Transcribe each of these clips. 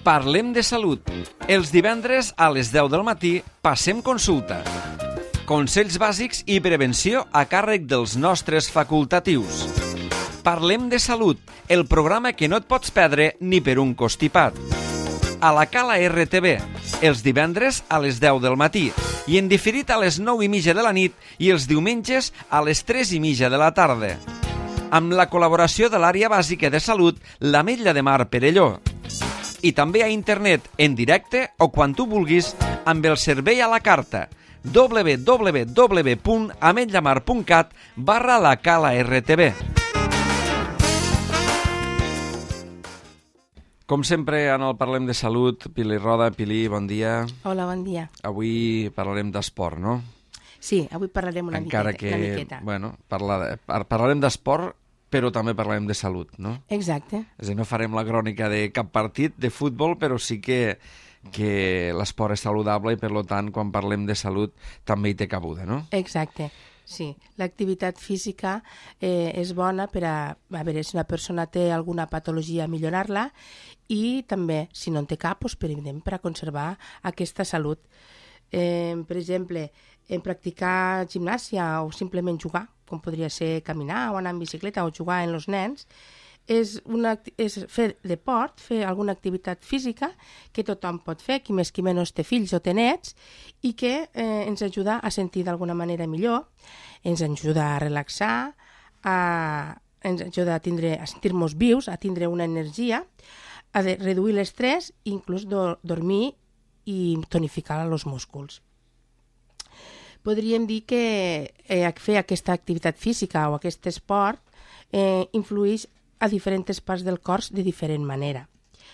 Parlem de salut. Els divendres a les 10 del matí passem consulta. Consells bàsics i prevenció a càrrec dels nostres facultatius. Parlem de salut, el programa que no et pots perdre ni per un constipat. A la Cala RTV, els divendres a les 10 del matí i en diferit a les 9:30 de la nit i els diumenges a les 3:30 de la tarda. Amb la col·laboració de l'àrea bàsica de salut, l'Ametlla de Mar Perelló. I també a internet, en directe o quan tu vulguis, amb el servei a la carta www.ametllamar.cat/la Cala RTV. Com sempre, en el Parlem de Salut, Pili Roda. Pili, bon dia. Hola, bon dia. Avui parlarem d'esport, no? Sí, avui parlarem una miqueta. Bueno, parlarem d'esport, però també parlarem de salut, no? Exacte. És a dir, no farem la crònica de cap partit de futbol, però sí que l'esport és saludable i, per tant, quan parlem de salut també hi té cabuda, no? Exacte. Sí, l'activitat física és bona per a veure si una persona té alguna patologia, millorar-la, i també, si no en té cap, doncs, per a conservar aquesta salut. Per exemple, en practicar gimnàsia o simplement jugar, com podria ser caminar o anar en bicicleta o jugar en els nens, és fer deport, fer alguna activitat física que tothom pot fer, qui més qui menys té fills o té nets, i que ens ajuda a sentir d'alguna manera millor, ens ajuda a relaxar, ens ajuda a sentir-nos vius, a tindre una energia, a reduir l'estrès i inclús dormir i tonificar els músculs. Podríem dir que fer aquesta activitat física o aquest esport influeix a diferents parts del cos de diferent manera.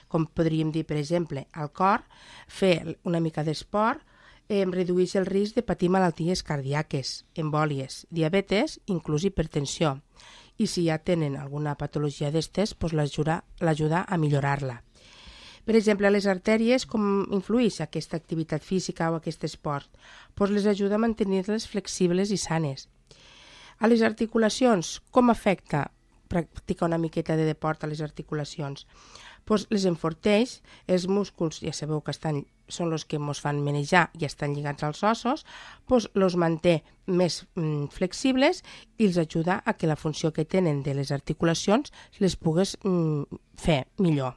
Com podríem dir, per exemple, al cor, fer una mica d'esport redueix el risc de patir malalties cardíaques, embòlies, diabetes, inclús hipertensió. I si ja tenen alguna patologia d'estes, doncs l'ajuda a millorar-la. Per exemple, a les artèries, com influeix aquesta activitat física o aquest esport? Doncs les ajuda a mantenir-les flexibles i sanes. A les articulacions, com afecta practicar una miqueta de deport a les articulacions? Doncs les enforteix, els músculs, ja sabeu que són els que ens fan manejar i estan lligats als ossos, doncs els manté més flexibles i els ajuda a que la funció que tenen de les articulacions les pugues fer millor.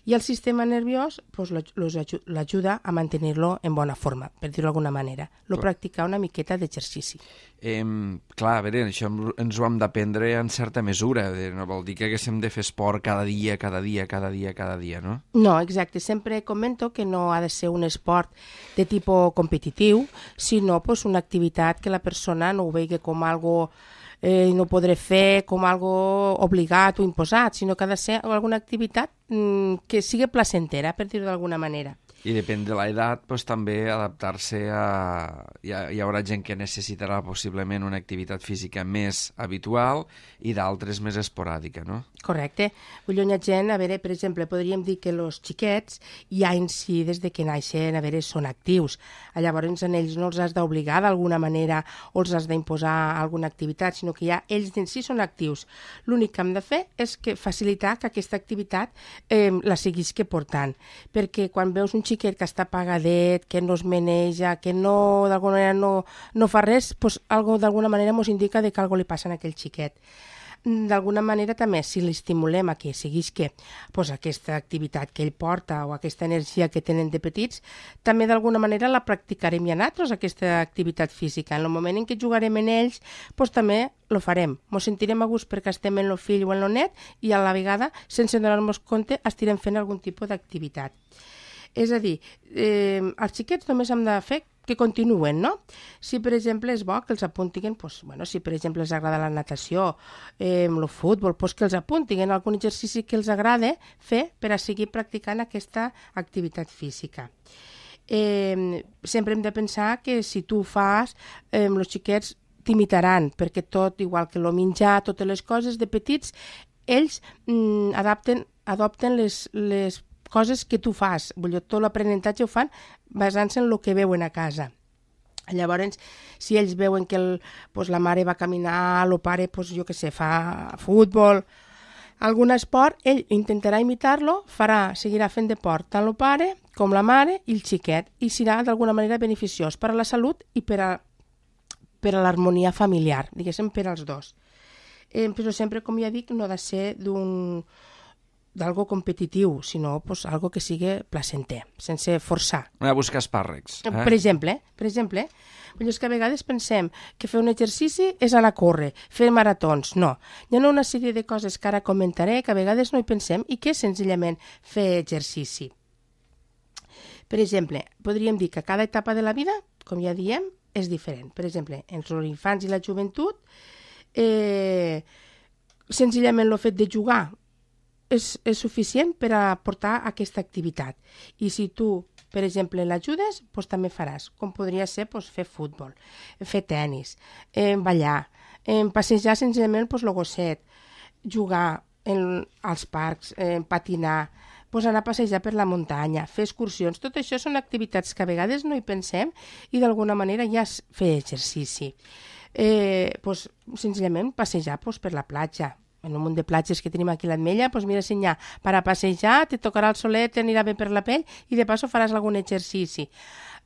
I el sistema nerviós l'ajuda a mantenir-lo en bona forma, per dir-ho d'alguna manera. Practicar una miqueta d'exercici. Clar, a veure, això ens ho hem d'aprendre en certa mesura. No vol dir que haguéssim de fer esport cada dia, no? No, exacte. Sempre comento que no ha de ser un esport de tipus competitiu, sinó una activitat que la persona no ho vegi com algo no podré fer com algo obligat o imposat, sinó que ha de ser alguna activitat que sigui placentera, per dir-ho d'alguna manera. I depèn de l'edat, doncs, també adaptar-se a... Hi haurà gent que necessitarà possiblement una activitat física més habitual i d'altres més esporàdica, no? Correcte. Vull dir, gent, a veure, per exemple, podríem dir que els xiquets ja en si, des de que naixen, a veure, són actius. Llavors, en ells no els has d'obligar d'alguna manera o els has d'imposar alguna activitat, sinó que ja ells en si són actius. L'únic que hem de fer és facilitar que aquesta activitat la siguis portant. Perquè quan veus un xiquet que està apagadet, que no es maneja, que no, d'alguna manera no fa res, doncs d'alguna manera ens indica que alguna cosa li passa a aquell xiquet. D'alguna manera també, si l'estimulem a que seguís aquesta activitat que ell porta o aquesta energia que tenen de petits, també d'alguna manera la practicarem ja nosaltres, aquesta activitat física. En el moment en què jugarem en ells, doncs també lo farem. Ens sentirem a gust perquè estem en el fill o en el net i a la vegada, sense donar-nos compte, estirem fent algun tipus d'activitat. És a dir, els xiquets només hem de fer que continuen, no? Si, per exemple, és bo que els apuntin, si, per exemple, els agrada la natació, el futbol, que els apuntin algun exercici que els agrada fer per a seguir practicant aquesta activitat física. Sempre hem de pensar que si tu ho fas, els xiquets t'imitaran, perquè tot, igual que el menjar, totes les coses de petits, ells adopten les coses que tu fas. Vull dir, tot l'aprenentatge ho fan basant-se en el que veuen a casa. Llavors, si ells veuen que la mare va caminar, el pare, fa futbol, algun esport, ell intentarà imitar-lo, seguirà fent deport tant el pare com la mare i el xiquet, i serà d'alguna manera beneficiós per a la salut i per a l'harmonia familiar, diguéssim, per als dos. Però sempre, com ja dic, no ha de ser d'algo competitiu, sinó algo que sigui placenter, sense forçar. No hi ha buscar espàrrecs. Per exemple, és que a vegades pensem que fer un exercici és anar a córrer, fer maratons. No, hi ha una sèrie de coses que ara comentaré que a vegades no hi pensem i que és senzillament fer exercici. Per exemple, podríem dir que cada etapa de la vida, com ja diem, és diferent. Per exemple, entre els infants i la joventut, senzillament el fet de jugar és suficient per a portar aquesta activitat. I si tu, per exemple, l'ajudes, també faràs, com podria ser fer futbol, fer tennis, ballar, passejar senzillament el gosset, jugar als parcs, patinar, anar a passejar per la muntanya, fer excursions. Tot això són activitats que a vegades no hi pensem i d'alguna manera ja és fer exercici. Senzillament passejar per la platja. En un munt de platges que tenim aquí a l'Ametlla, mira, si n'hi ha per a passejar, te tocarà el solet, t'anirà bé per la pell i de passo faràs algun exercici.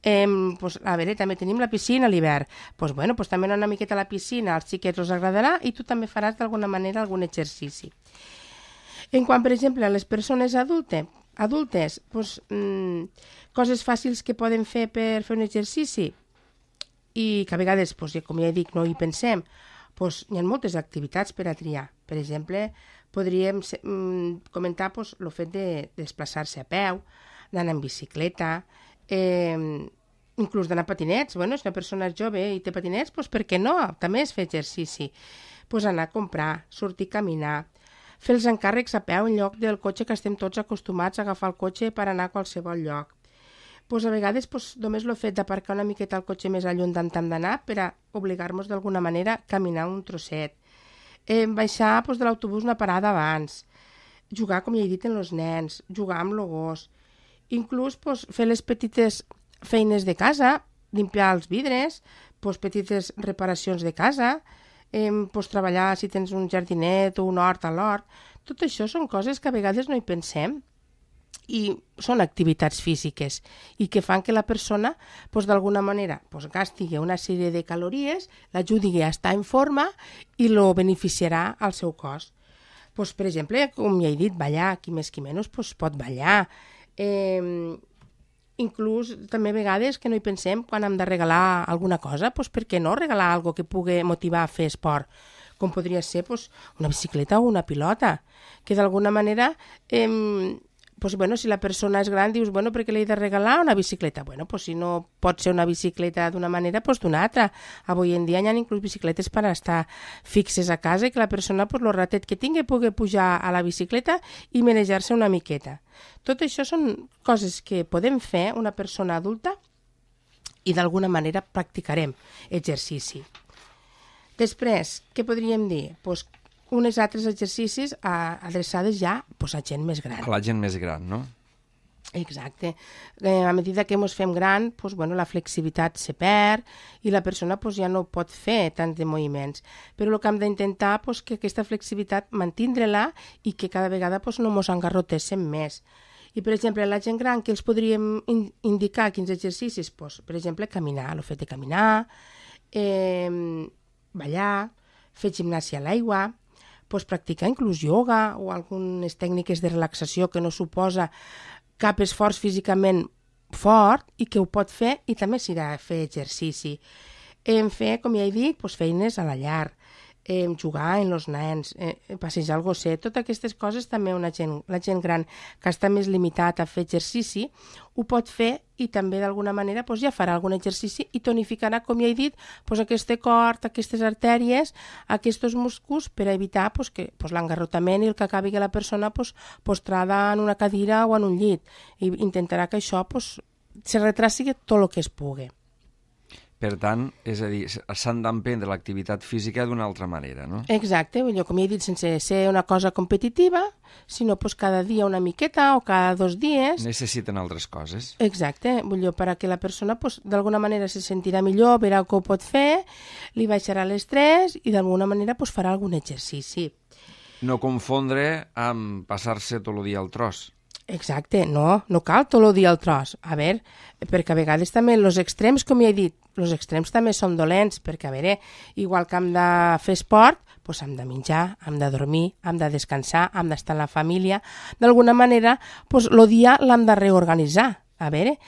A veure, també tenim la piscina a l'hivern. També anar una miqueta a la piscina, als xiquets us agradarà i tu també faràs d'alguna manera algun exercici. En quant, per exemple, a les persones adultes, coses fàcils que poden fer per fer un exercici i que a vegades, com ja dic, no hi pensem, hi ha moltes activitats per a triar. Per exemple, podríem comentar el fet de desplaçar-se a peu, d'anar en bicicleta, inclús d'anar a patinets. Si una persona és jove i té patinets, per què no? També és fer exercici. Anar a comprar, sortir a caminar, fer els encàrrecs a peu en lloc del cotxe, que estem tots acostumats a agafar el cotxe per anar a qualsevol lloc. A vegades només el fet d'aparcar una miqueta el cotxe més lluny d'on hem d'anar per a obligar-nos d'alguna manera a caminar un trosset. Baixar de l'autobús una parada abans. Jugar, com ja he dit, amb els nens. Jugar amb el gos. Inclús fer les petites feines de casa, limpiar els vidres, petites reparacions de casa, treballar si tens un jardinet o un hort a l'hort. Tot això són coses que a vegades no hi pensem i són activitats físiques i que fan que la persona d'alguna manera gasti una sèrie de calories, l'ajudi a estar en forma i lo beneficiarà al seu cos. Per exemple, com ja he dit, ballar, qui més qui menys pot ballar. Inclús també a vegades que no hi pensem quan hem de regalar alguna cosa, per què no regalar alguna que pugui motivar a fer esport, com podria ser una bicicleta o una pilota, que d'alguna manera si la persona és gran dius, per què li he de regalar una bicicleta? Si no pot ser una bicicleta d'una manera, d'una altra. Avui en dia hi ha inclús bicicletes per estar fixes a casa i que la persona, el ratet que tingui, pugui pujar a la bicicleta i manejar-se una miqueta. Tot això són coses que podem fer una persona adulta i d'alguna manera practicarem exercici. Després, què podríem dir? Uns altres exercicis adreçades ja a gent més gran. A la gent més gran, no? Exacte. A mesura que ens fem gran, la flexibilitat se perd i la persona ja no pot fer tants de moviments. Però el que hem d'intentar és que aquesta flexibilitat mantindre-la i que cada vegada no ens engarrotéssim més. I, per exemple, a la gent gran, que els podríem indicar quins exercicis? Per exemple, caminar, el fet de caminar, ballar, fer gimnàsia a l'aigua, practicar inclús ioga o algunes tècniques de relaxació que no suposa cap esforç físicament fort i que ho pot fer i també serà fer exercici. Fer, com ja he dit, feines a la llar, jugar amb els nens, passejar el gosset, totes aquestes coses també la gent gran que està més limitat a fer exercici ho pot fer i també d'alguna manera ja farà algun exercici i tonificarà, com ja he dit, aquest cor, aquestes artèries, aquests músculs per evitar que l'engarrotament i el que acabi que la persona postrada en una cadira o en un llit i intentarà que això se retraci tot el que es pugui. Per tant, és a dir, s'han d'emprendre l'activitat física d'una altra manera, no? Exacte, com ja he dit, sense ser una cosa competitiva, sinó cada dia una miqueta o cada 2 dies. Necessiten altres coses. Exacte, perquè la persona d'alguna manera se sentirà millor, verà que ho pot fer, li baixarà l'estrès i d'alguna manera farà algun exercici. No confondre amb passar-se tot el dia al tros. Exacte, no cal tot el dia al tros. A veure, perquè a vegades també els extrems, com ja he dit, els extrems també són dolents, perquè a veure, igual que hem de fer esport, doncs hem de menjar, hem de dormir, hem de descansar, hem d'estar en la família. D'alguna manera, doncs el dia l'hem de reorganitzar. A veure,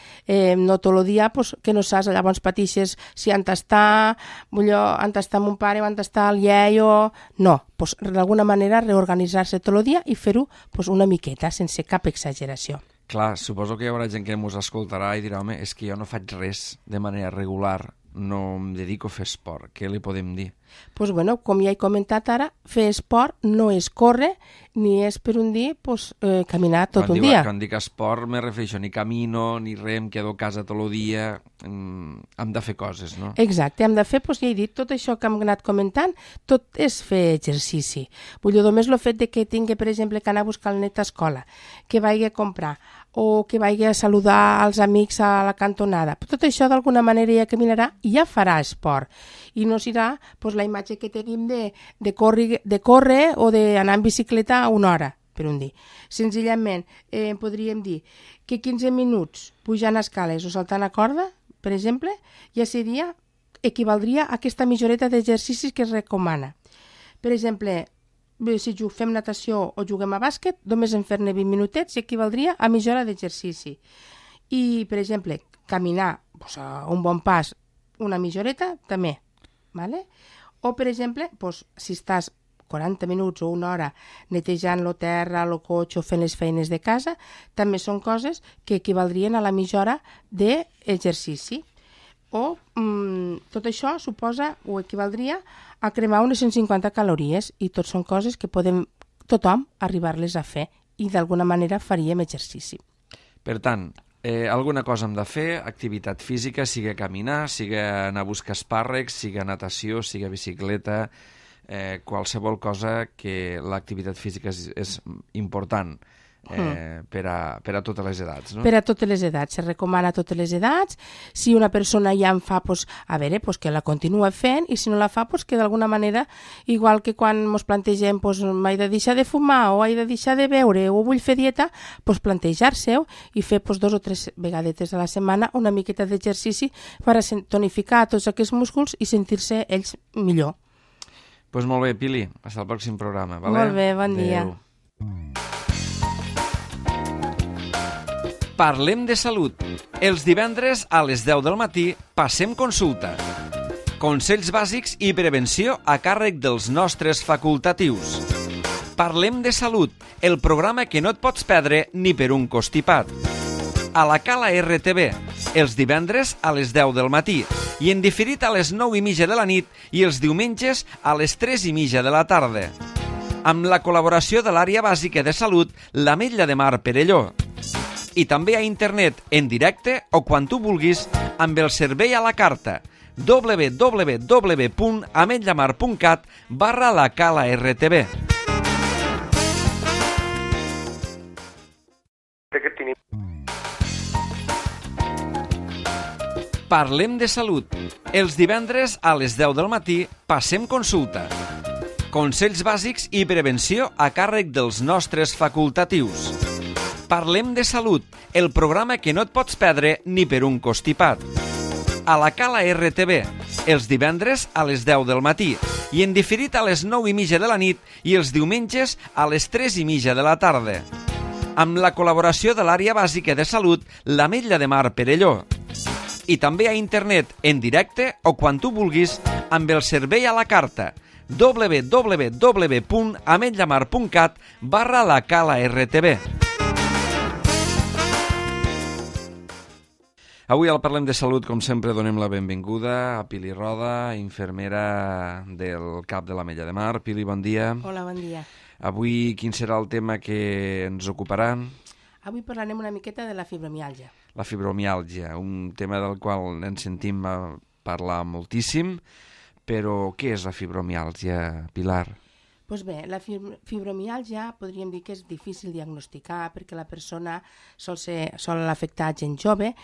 no tot el dia pues, que no saps, llavors patixes si han d'estar mon pare o han d'estar el iaio. No, pues, d'alguna manera reorganitzar-se tot el dia i fer-ho pues, una miqueta, sense cap exageració. Clar, suposo que hi haurà gent que ens escoltarà i dirà, home, és que jo no faig res de manera regular, no em dedico a fer esport. Què li podem dir? Pues bueno, com ja he comentat ara, fer esport no és córrer ni és per un dia pues, caminar tot un dia. Quan dic esport me refereixo ni camino, ni res, em quedo a casa tot el dia, hem de fer coses, no? Exacte, hem de fer, doncs ja he dit, tot això que hem anat comentant, tot és fer exercici. Vull dir, només el fet de que tingui, per exemple, que anar a buscar el net a escola, que vagi a comprar, o que vagi a saludar els amics a la cantonada. Tot això d'alguna manera ja caminarà i ja farà esport. I no serà pues, la imatge que tenim de córrer o d'anar en bicicleta una hora, per un dia. Senzillament, podríem dir que 15 minuts pujant escales o saltant a corda, per exemple, ja equivaldria a aquesta mitjoreta d'exercicis que es recomana. Per exemple, si fem natació o juguem a bàsquet, només en fer-ne 20 minutets equivaldria a mitja hora d'exercici. I, per exemple, caminar pues, a un bon pas, una mitja horeta, també. ¿Vale? O, per exemple, pues, si estàs 40 minuts o una hora netejant la terra, el cotxe o fent les feines de casa, també són coses que equivaldrien a la mitja hora d'exercici. O tot això suposa o equivaldria a cremar unes 150 calories i tot són coses que podem tothom arribar-les a fer i d'alguna manera faríem exercici. Per tant, alguna cosa hem de fer, activitat física, sigui caminar, sigui anar a buscar espàrrecs, sigui natació, sigui bicicleta, qualsevol cosa que l'activitat física és important. Per a totes les edats, no? Per a totes les edats, se recomana a totes les edats. Si una persona ja en fa, pues, a veure, pues, que la continua fent, i si no la fa, pues, que d'alguna manera, igual que quan ens plantegem pues, m'he de deixar de fumar o he de deixar de beure o vull fer dieta, pues, plantejar-se-ho i fer pues, 2 o 3 vegades a la setmana una miqueta d'exercici per a tonificar tots aquests músculs i sentir-se ells millor. Pues molt bé, Pili, fins al pròxim programa. Vale? Molt bé, bon dia. Parlem de salut. Els divendres a les 10 del matí passem consulta. Consells bàsics i prevenció a càrrec dels nostres facultatius. Parlem de salut, el programa que no et pots perdre ni per un constipat. A la Cala RTV, els divendres a les 10 del matí i en diferit a les 9:30 de la nit i els diumenges a les 3:30 de la tarda. Amb la col·laboració de l'àrea bàsica de salut, l'Ametlla de Mar Perelló. I també a internet, en directe o quan tu vulguis, amb el servei a la carta www.ametllamar.cat/la Cala RTV. Parlem de salut. Els divendres a les 10 del matí passem consulta. Consells bàsics i prevenció a càrrec dels nostres facultatius. Parlem de salut, el programa que no et pots perdre ni per un constipat. A la Cala RTV, els divendres a les 10 del matí i en diferit a les 9:30 de la nit i els diumenges a les 3:30 de la tarda. Amb la col·laboració de l'àrea bàsica de salut, l'Ametlla de Mar Perelló. I també a internet, en directe o quan tu vulguis, amb el servei a la carta www.ametllamar.cat/la Cala RTV. Avui al Parlem de Salut, com sempre, donem la benvinguda a Pili Roda, infermera del CAP de l'Ametlla de Mar. Pili, bon dia. Hola, bon dia. Avui quin serà el tema que ens ocuparà? Avui parlarem una miqueta de la fibromiàlgia. La fibromiàlgia, un tema del qual ens sentim parlar moltíssim, però què és la fibromiàlgia, Pilar? Doncs bé, la fibromiàlgia podríem dir que és difícil diagnosticar perquè la persona sol afectar gent jove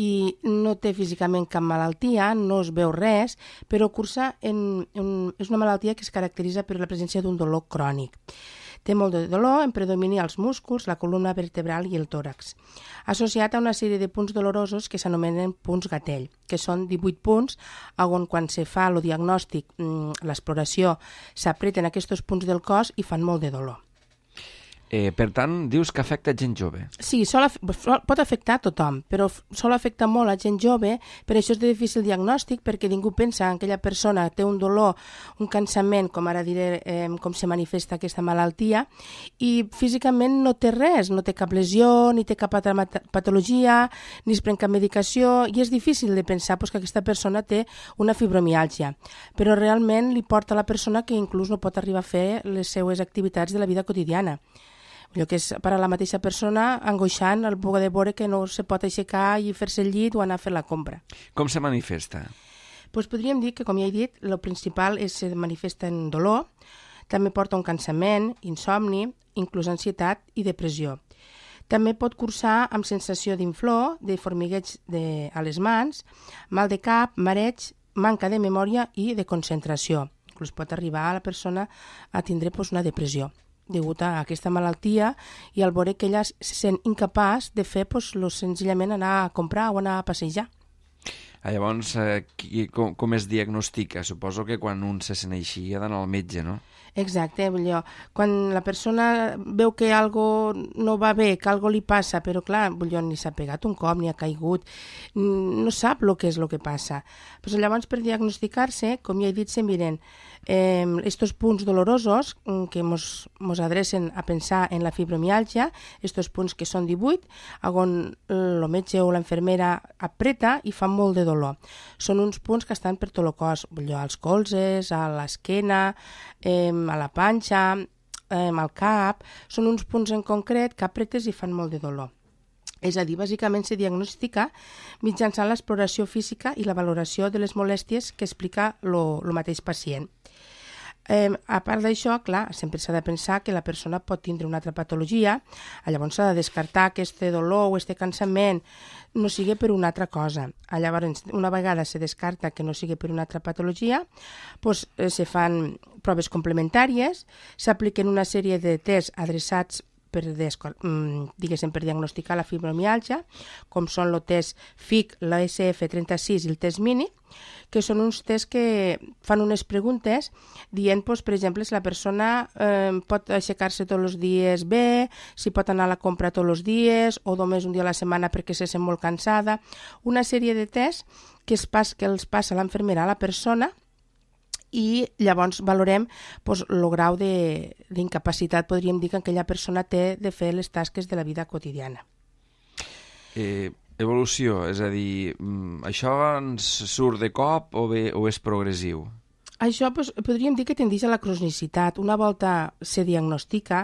i no té físicament cap malaltia, no es veu res, però és una malaltia que es caracteritza per la presència d'un dolor crònic. Té molt de dolor en predomini als músculs, la columna vertebral i el tòrax, associat a una sèrie de punts dolorosos que s'anomenen punts gatell, que són 18 punts on quan se fa el diagnòstic, l'exploració, s'apreten aquests punts del cos i fan molt de dolor. Per tant, dius que afecta gent jove. Sí, pot afectar a tothom, però sol afectar molt a gent jove, per això és de difícil diagnòstic, perquè ningú pensa que aquella persona té un dolor, un cansament, com ara diré, com se manifesta aquesta malaltia, i físicament no té res, no té cap lesió, ni té cap altra patologia, ni es pren cap medicació, i és difícil de pensar que aquesta persona té una fibromiàlgia, però realment li porta a la persona que inclús no pot arribar a fer les seues activitats de la vida quotidiana. Allò que és per a la mateixa persona angoixant el poder veure que no se pot aixecar i fer-se el llit o anar a fer la compra. Com se manifesta? Doncs podríem dir que, com ja he dit, el principal se manifesta en dolor, també porta un cansament, insomni, inclús ansietat i depressió. També pot cursar amb sensació d'inflor, de formigueig a les mans, mal de cap, mareig, manca de memòria i de concentració. Inclús pot arribar a la persona a tindre una depressió degut a aquesta malaltia i al veure que ella se sent incapaç de fer senzillament anar a comprar o anar a passejar. Llavors, com es diagnostica? Suposo que quan un se sent així ha d'anar al metge, no? Exacte, quan la persona veu que algo no va bé, que algo li passa, però clar, ni s'ha pegat un cop, ni ha caigut, no sap el que és el que passa. Pues llavors, per diagnosticar-se, com ja he dit, se miren estos punts dolorosos que mos adrecen a pensar en la fibromiàlgia, estos punts que són 18, on el metge o l'enfermera apreta i fa molt de dolor. Són uns punts que estan per tot el cos, als colzes, a l'esquena, a la panxa, al cap. Són uns punts en concret que apretes i fan molt de dolor. És a dir, bàsicament se diagnostica mitjançant l'exploració física i la valoració de les molèsties que explica el mateix pacient. A part d'això, clar, sempre s'ha de pensar que la persona pot tindre una altra patologia, llavors s'ha de descartar que aquest dolor o aquest cansament no sigui per una altra cosa. Llavors, una vegada se descarta que no sigui per una altra patologia, se fan proves complementàries, s'apliquen una sèrie de tests adreçats per diagnosticar la fibromiàlgia, com són el test FIC, l'ASF36 i el test MINI, que són uns tests que fan unes preguntes dient, per exemple, si la persona pot aixecar-se tots els dies bé, si pot anar a la compra tots els dies o només un dia a la setmana perquè se sent molt cansada. Una sèrie de tests que els passa l'enfermera a la persona i llavors valorem el grau d'incapacitat, podríem dir, que aquella persona té de fer les tasques de la vida quotidiana. Evolució, és a dir, això ens surt de cop o és progressiu? Això podríem dir que tendeix a la cronicitat. Una volta se diagnostica,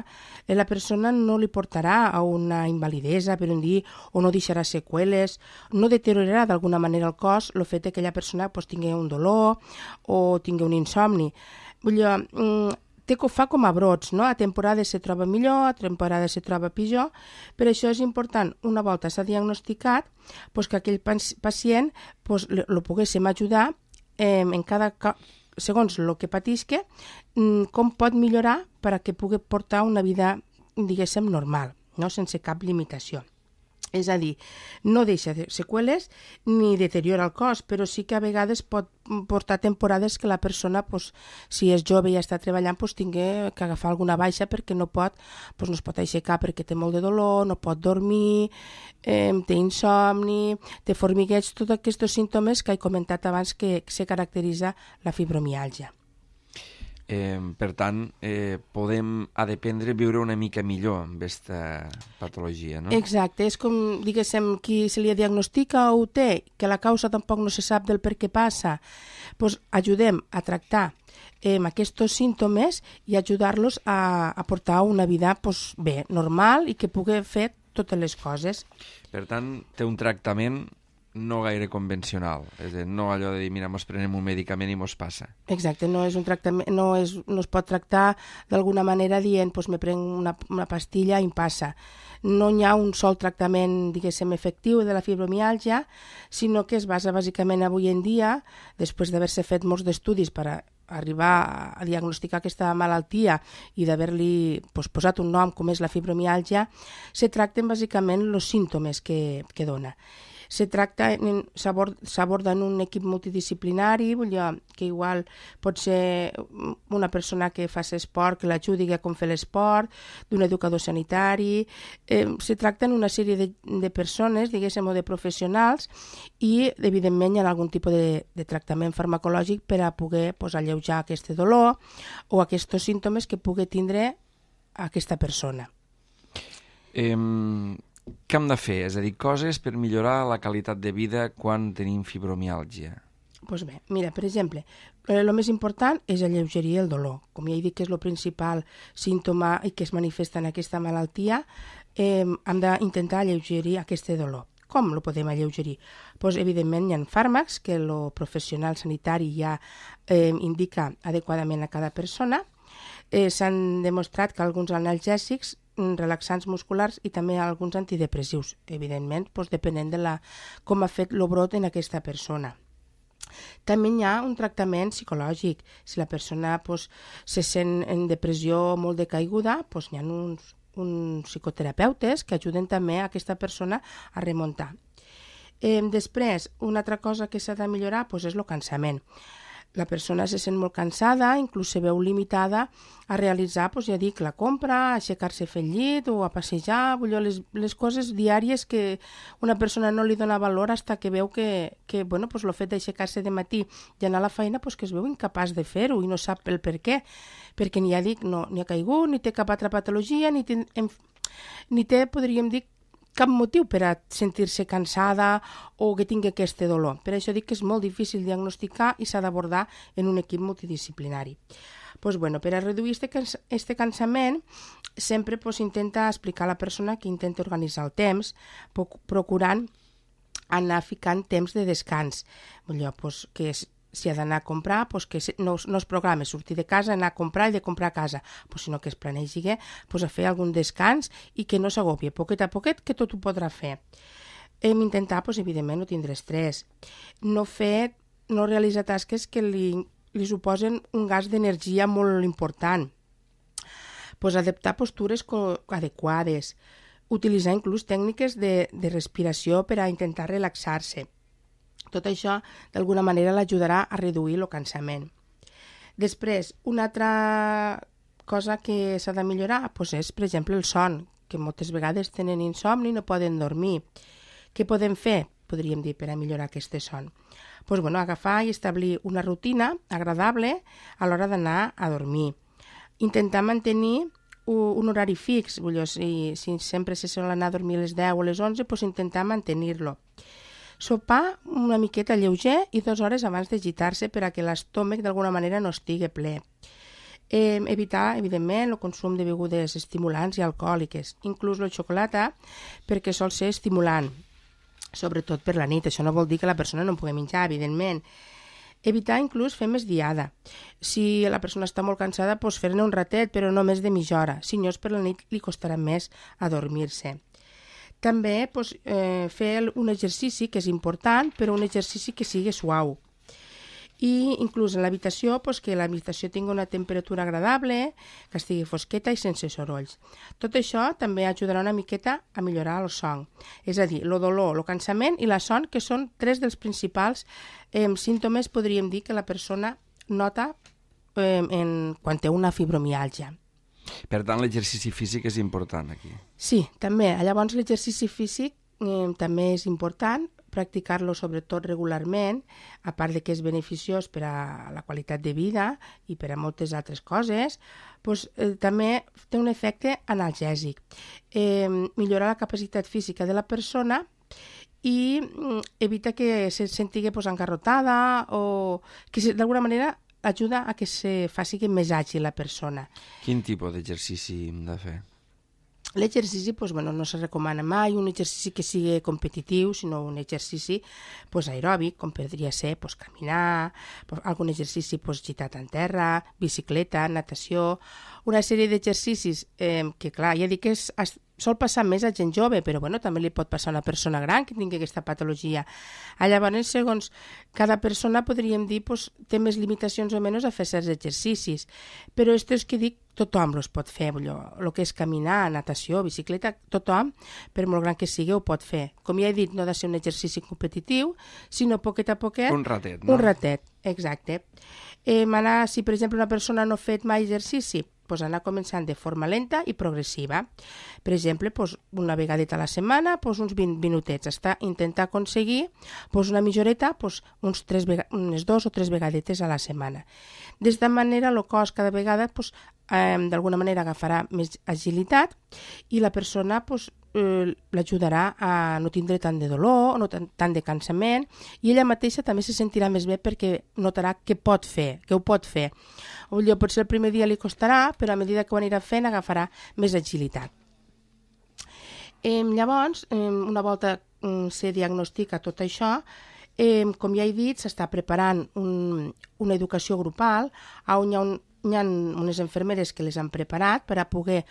la persona no li portarà a una invalidesa, per dir, o no deixarà seqüeles, no deteriorarà d'alguna manera el cos el fet que aquella persona tingui un dolor o tingui un insomni. Fa com a brots, no? A temporades se troba millor, a temporades se troba pitjor. Per això és important, una volta s'ha diagnosticat, que aquell pacient el poguéssim ajudar en cada segons el que patisca, com pot millorar perquè pugui portar una vida, diguéssim, normal, no? Sense cap limitació. És a dir, no deixa seqüeles ni deteriora el cos, però sí que a vegades pot portar temporades que la persona, si és jove i està treballant, tingui que agafar alguna baixa perquè no es pot aixecar perquè té molt de dolor, no pot dormir, té insomni, té formigueig, tots aquests símptomes que he comentat abans que se caracteritza la fibromiàlgia. Per tant, ha d'aprendre a viure una mica millor amb aquesta patologia, no? Exacte, és com, diguéssim, qui se li diagnostica o ho té, que la causa tampoc no se sap del per què passa, ajudem a tractar aquests símptomes i ajudar-los a portar una vida bé, normal i que pugui fer totes les coses. Per tant, té un tractament no gaire convencional. És a dir, no allò de dir, mira, mos prenem un medicament i mos passa. Exacte, no és un tractament, no es pot tractar d'alguna manera dient pues me prenc una pastilla i em passa. No hi ha un sol tractament, diguéssim, efectiu de la fibromiàlgia, sinó que es basa bàsicament avui en dia, després d'haver-se fet molts d'estudis per arribar a diagnosticar aquesta malaltia i d'haver-li posat un nom com és la fibromiàlgia, se tracten bàsicament els símptomes que dona. S'aborda en un equip multidisciplinari, que igual pot ser una persona que faci esport, que l'ajudi a com fer l'esport, d'un educador sanitari. Se tracta en una sèrie de persones, diguéssim, o de professionals, i evidentment hi ha algun tipus de tractament farmacològic per a poder alleujar aquest dolor o aquests símptomes que pugui tindre aquesta persona. Què hem de fer? És a dir, coses per millorar la qualitat de vida quan tenim fibromiàlgia. Doncs bé, mira, per exemple, el més important és alleugerir el dolor. Com ja he dit que és el principal símptoma i que es manifesta en aquesta malaltia, hem d'intentar alleugerir aquest dolor. Com el podem alleugerir? Doncs, evidentment, hi ha fàrmacs que el professional sanitari ja indica adequadament a cada persona. S'han demostrat que alguns analgèsics, relaxants musculars i també alguns antidepressius, evidentment, depenent de com ha fet el brot en aquesta persona. També hi ha un tractament psicològic. Si la persona se sent en depressió molt decaiguda, hi ha uns psicoterapeutes que ajuden també a aquesta persona a remuntar. Després, una altra cosa que s'ha de millorar és el cansament. La persona se sent molt cansada, inclús se veu limitada a realitzar, ja dic, la compra, a aixecar-se a fer el llit o a passejar, les coses diàries que una persona no li dona valor fins que veu que el fet d'aixecar-se de matí i anar a la feina que es veu incapaç de fer-ho i no sap el per què, perquè ni ha caigut, ni té cap altra patologia, ni té, podríem dir, cap motiu per a sentir-se cansada o que tingui aquest dolor. Per això dic que és molt difícil diagnosticar i s'ha d'abordar en un equip multidisciplinari. Per a reduir aquest cansament, sempre intenta explicar a la persona que intenta organitzar el temps, procurant anar ficant temps de descans. Que si ha d'anar a comprar, que no es programa sortir de casa, anar a comprar i de comprar a casa, sinó que es planegi a fer algun descans i que no s'agobie, poquet a poquet, que tot ho podrà fer. Hem d'intentar, evidentment, no tindre estrès, no realitzar tasques que li suposen un gas d'energia molt important, adaptar postures adequades, utilitzar inclús tècniques de respiració per a intentar relaxar-se. Tot això, d'alguna manera, l'ajudarà a reduir el cansament. Després, una altra cosa que s'ha de millorar és, per exemple, el son, que moltes vegades tenen insomni i no poden dormir. Què podem fer, podríem dir, per a millorar aquest son? Agafar i establir una rutina agradable a l'hora d'anar a dormir. Intentar mantenir un horari fix, si sempre se sol anar a dormir a les 10 o a les 11, intentar mantenir-lo. Sopar una miqueta lleuger i 2 hores abans de gitar-se per a que l'estómac d'alguna manera no estigui ple. Evitar, evidentment, el consum de begudes estimulants i alcohòliques, inclús el xocolata, perquè sol ser estimulant, sobretot per la nit. Això no vol dir que la persona no pugui menjar, evidentment. Evitar inclús fer més diada. Si la persona està molt cansada, fer-ne un ratet, però no més de mitja hora. Si no, per la nit li costarà més adormir-se. També fer un exercici que és important, però un exercici que sigui suau. I inclús en l'habitació, que l'habitació tingui una temperatura agradable, que estigui fosqueta i sense sorolls. Tot això també ajudarà una miqueta a millorar el son. És a dir, el dolor, el cansament i la son, que són 3 dels principals símptomes, podríem dir, que la persona nota quan té una fibromiàlgia. Per tant, l'exercici físic és important aquí. Sí, també. Llavors, l'exercici físic també és important, practicar-lo sobretot regularment, a part de que és beneficiós per a la qualitat de vida i per a moltes altres coses, també té un efecte analgèsic. Millorar la capacitat física de la persona i evita que se sentigui engarrotada o que d'alguna manera ajuda a que se faci més àgil la persona. Quin tipus d'exercici hem de fer? L'exercici no se recomana mai un exercici que sigui competitiu, sinó un exercici aeròbic, com podria ser caminar, algun exercici gitat en terra, bicicleta, natació, una sèrie d'exercicis que, clar, ja dic que sol passar més a gent jove, però també li pot passar a una persona gran que tingui aquesta patologia. Llavors, segons cada persona, podríem dir, té més limitacions o menys a fer certs exercicis, però és que dic, tothom els pot fer, el que és caminar, natació, bicicleta, tothom, per molt gran que sigui, ho pot fer. Com ja he dit, no ha de ser un exercici competitiu, sinó poquet a poquet... Un ratet, no? Un ratet, exacte. Si, per exemple, una persona no ha fet mai exercici, anar començant de forma lenta i progressiva. Per exemple, una vegadeta a la setmana, uns 20 minutets. Intentar aconseguir una mitja horeta, unes 2 o 3 vegadetes a la setmana. D'esta manera, el cos cada vegada d'alguna manera agafarà més agilitat i la persona l'ajudarà a no tindre tant de dolor, no tant de cansament, i ella mateixa també se sentirà més bé perquè notarà que ho pot fer. Potser el primer dia li costarà, però a mesura que ho anirà fent agafarà més agilitat. Llavors, una volta se diagnostica tot això, com ja he dit, s'està preparant una educació grupal on hi ha unes infermeres que les han preparat per a poder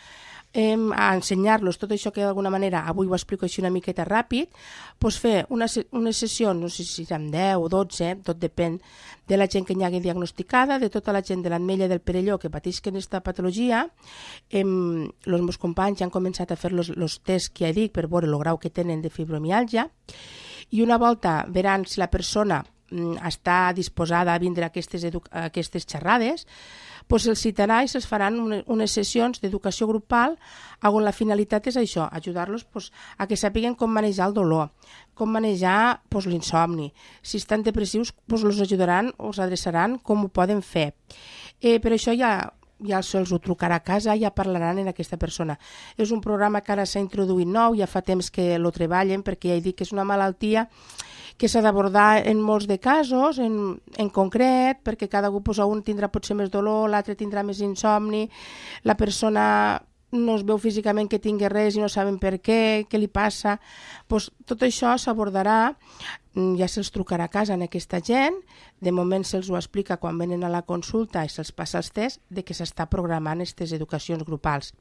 ensenyar-los tot això que d'alguna manera, avui ho explico així una miqueta ràpid, fer unes sessions, no sé si seran 10 o 12, tot depèn de la gent que hi hagi diagnosticada, de tota la gent de l'Ametlla del Perelló que patisquen aquesta patologia. Els meus companys ja han començat a fer els tests que ja dic per veure el grau que tenen de fibromiàlgia, i una volta veran si la persona està disposada a vindre a aquestes xerrades, se'ls citarà i se'ls faran unes sessions d'educació grupal on la finalitat és això, ajudar-los a que sàpiguen com manejar el dolor, com manejar l'insomni. Si estan depressius, els ajudaran o els adreçaran com ho poden fer. Per això ja se'ls ho trucarà a casa, ja parlaran en aquesta persona. És un programa que ara s'ha introduït nou, ja fa temps que lo treballen, perquè ja he dit que és una malaltia que s'ha d'abordar en molts de casos, en concret, perquè cada un tindrà potser més dolor, l'altre tindrà més insomni, la persona no es veu físicament que tingui res i no saben per què li passa. Tot això s'abordarà, ja se'ls trucarà a casa en aquesta gent, de moment se'ls ho explica quan venen a la consulta i se'ls passa els tests de que s'està programant aquestes educacions grupals.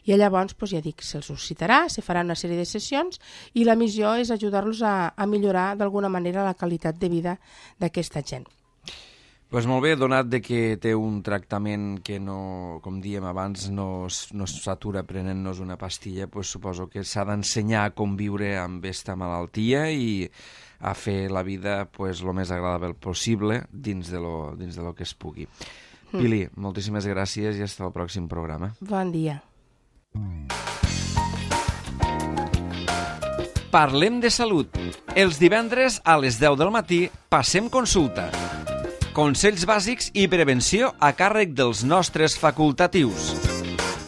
I llavors, ja dic, se'ls ho citarà, se farà una sèrie de sessions i la missió és ajudar-los a millorar d'alguna manera la qualitat de vida d'aquesta gent. Doncs molt bé, donat de que té un tractament que no, com dèiem abans, no s'atura prenent-nos una pastilla, suposo que s'ha d'ensenyar a conviure amb aquesta malaltia i a fer la vida el més agradable possible dins de lo que es pugui. Pili, moltíssimes gràcies i fins al pròxim programa. Bon dia. Parlem de salut. Els divendres a les 10 del matí passem consulta. Consells bàsics i prevenció a càrrec dels nostres facultatius.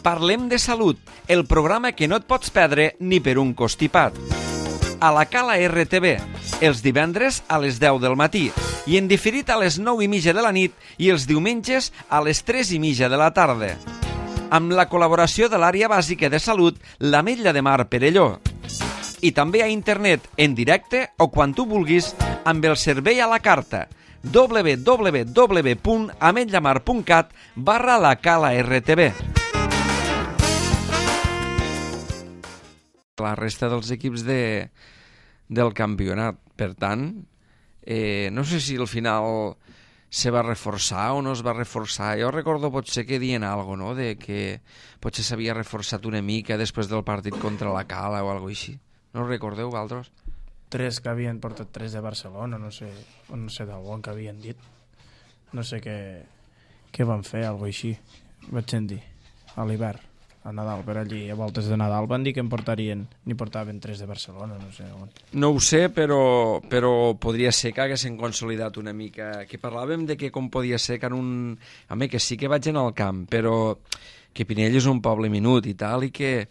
Parlem de salut, el programa que no et pots perdre ni per un costipat. A la Cala RTV, els divendres a les 10 del matí i en diferit a les 9:30 de la nit i els diumenges a les 3:30 de la tarda. Amb la col·laboració de l'àrea bàsica de salut, l'Ametlla de Mar Perelló. I també a internet, en directe o quan tu vulguis, amb el servei a la carta www.ametllamar.cat/la Cala RTV. La resta dels equips del campionat. Per tant, no sé si al final se va reforçar o no es va reforçar. Jo recordo potser que dient alguna cosa, no? De que potser s'havia reforçat una mica després del partit contra la Cala o alguna cosa així. No ho recordeu, vosaltres? 3 que havien portat 3 de Barcelona, no sé d'on que havien dit. No sé què van fer, alguna cosa així. Vaig sentir, a l'hivern, a Nadal, per allí, a voltes de Nadal, van dir que n'hi portaven 3 de Barcelona, no sé on. No ho sé, però podria ser que haguessin consolidat una mica, que parlàvem de que com podia ser que en un... A mi, que sí que vaig anar al camp, però que Pinell és un poble minut i tal, i que...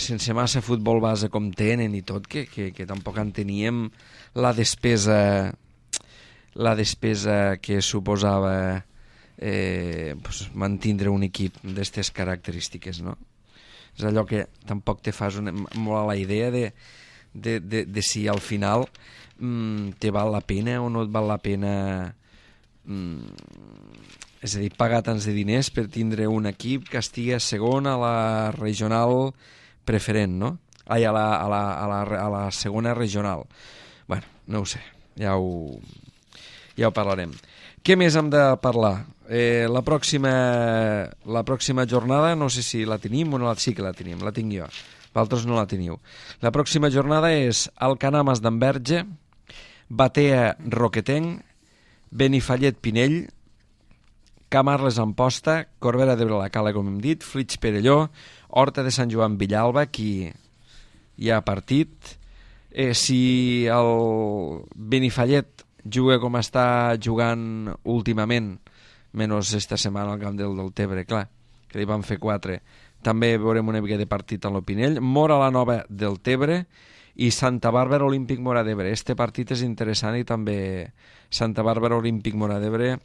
sense massa futbol base com tenen i tot, que tampoc en teníem la despesa que suposava mantindre un equip d'aquestes característiques, no? És allò que tampoc te fas molt a la idea de si al final te val la pena o no et val la pena, és a dir, pagar tants de diners per tindre un equip que estigui segon a la regional preferent, no? Ai, a la segona regional. Bueno, no ho sé, ja ho parlarem. Què més hem de parlar? La pròxima jornada, no sé si la tenim o no, sí que la tenim, la tinc jo. Vosaltres no la teniu. La pròxima jornada és Alcanar d'Enverge, Batea Roquetenc, Benifallet Pinell, Camarles Amposta, Corbera d'Ebre la Cala, com hem dit, Flix Perelló, Horta de Sant Joan Villalba, aquí hi ha partit. Si el Benifallet juga com està jugant últimament, menys esta setmana al camp del Tebre, clar, que li van fer 4, també veurem una mica de partit a l'Opinell. Mora la Nova del Tebre i Santa Bàrbara Olímpic Mora d'Ebre. Este partit és interessant i també Santa Bàrbara Olímpic Mora d'Ebre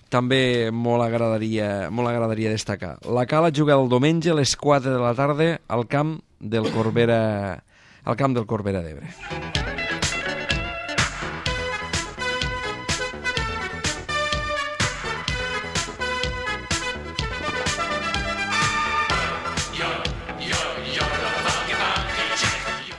també molt agradaria destacar. La Cala juga el diumenge a les 4 de la tarda al camp del Corbera d'Ebre.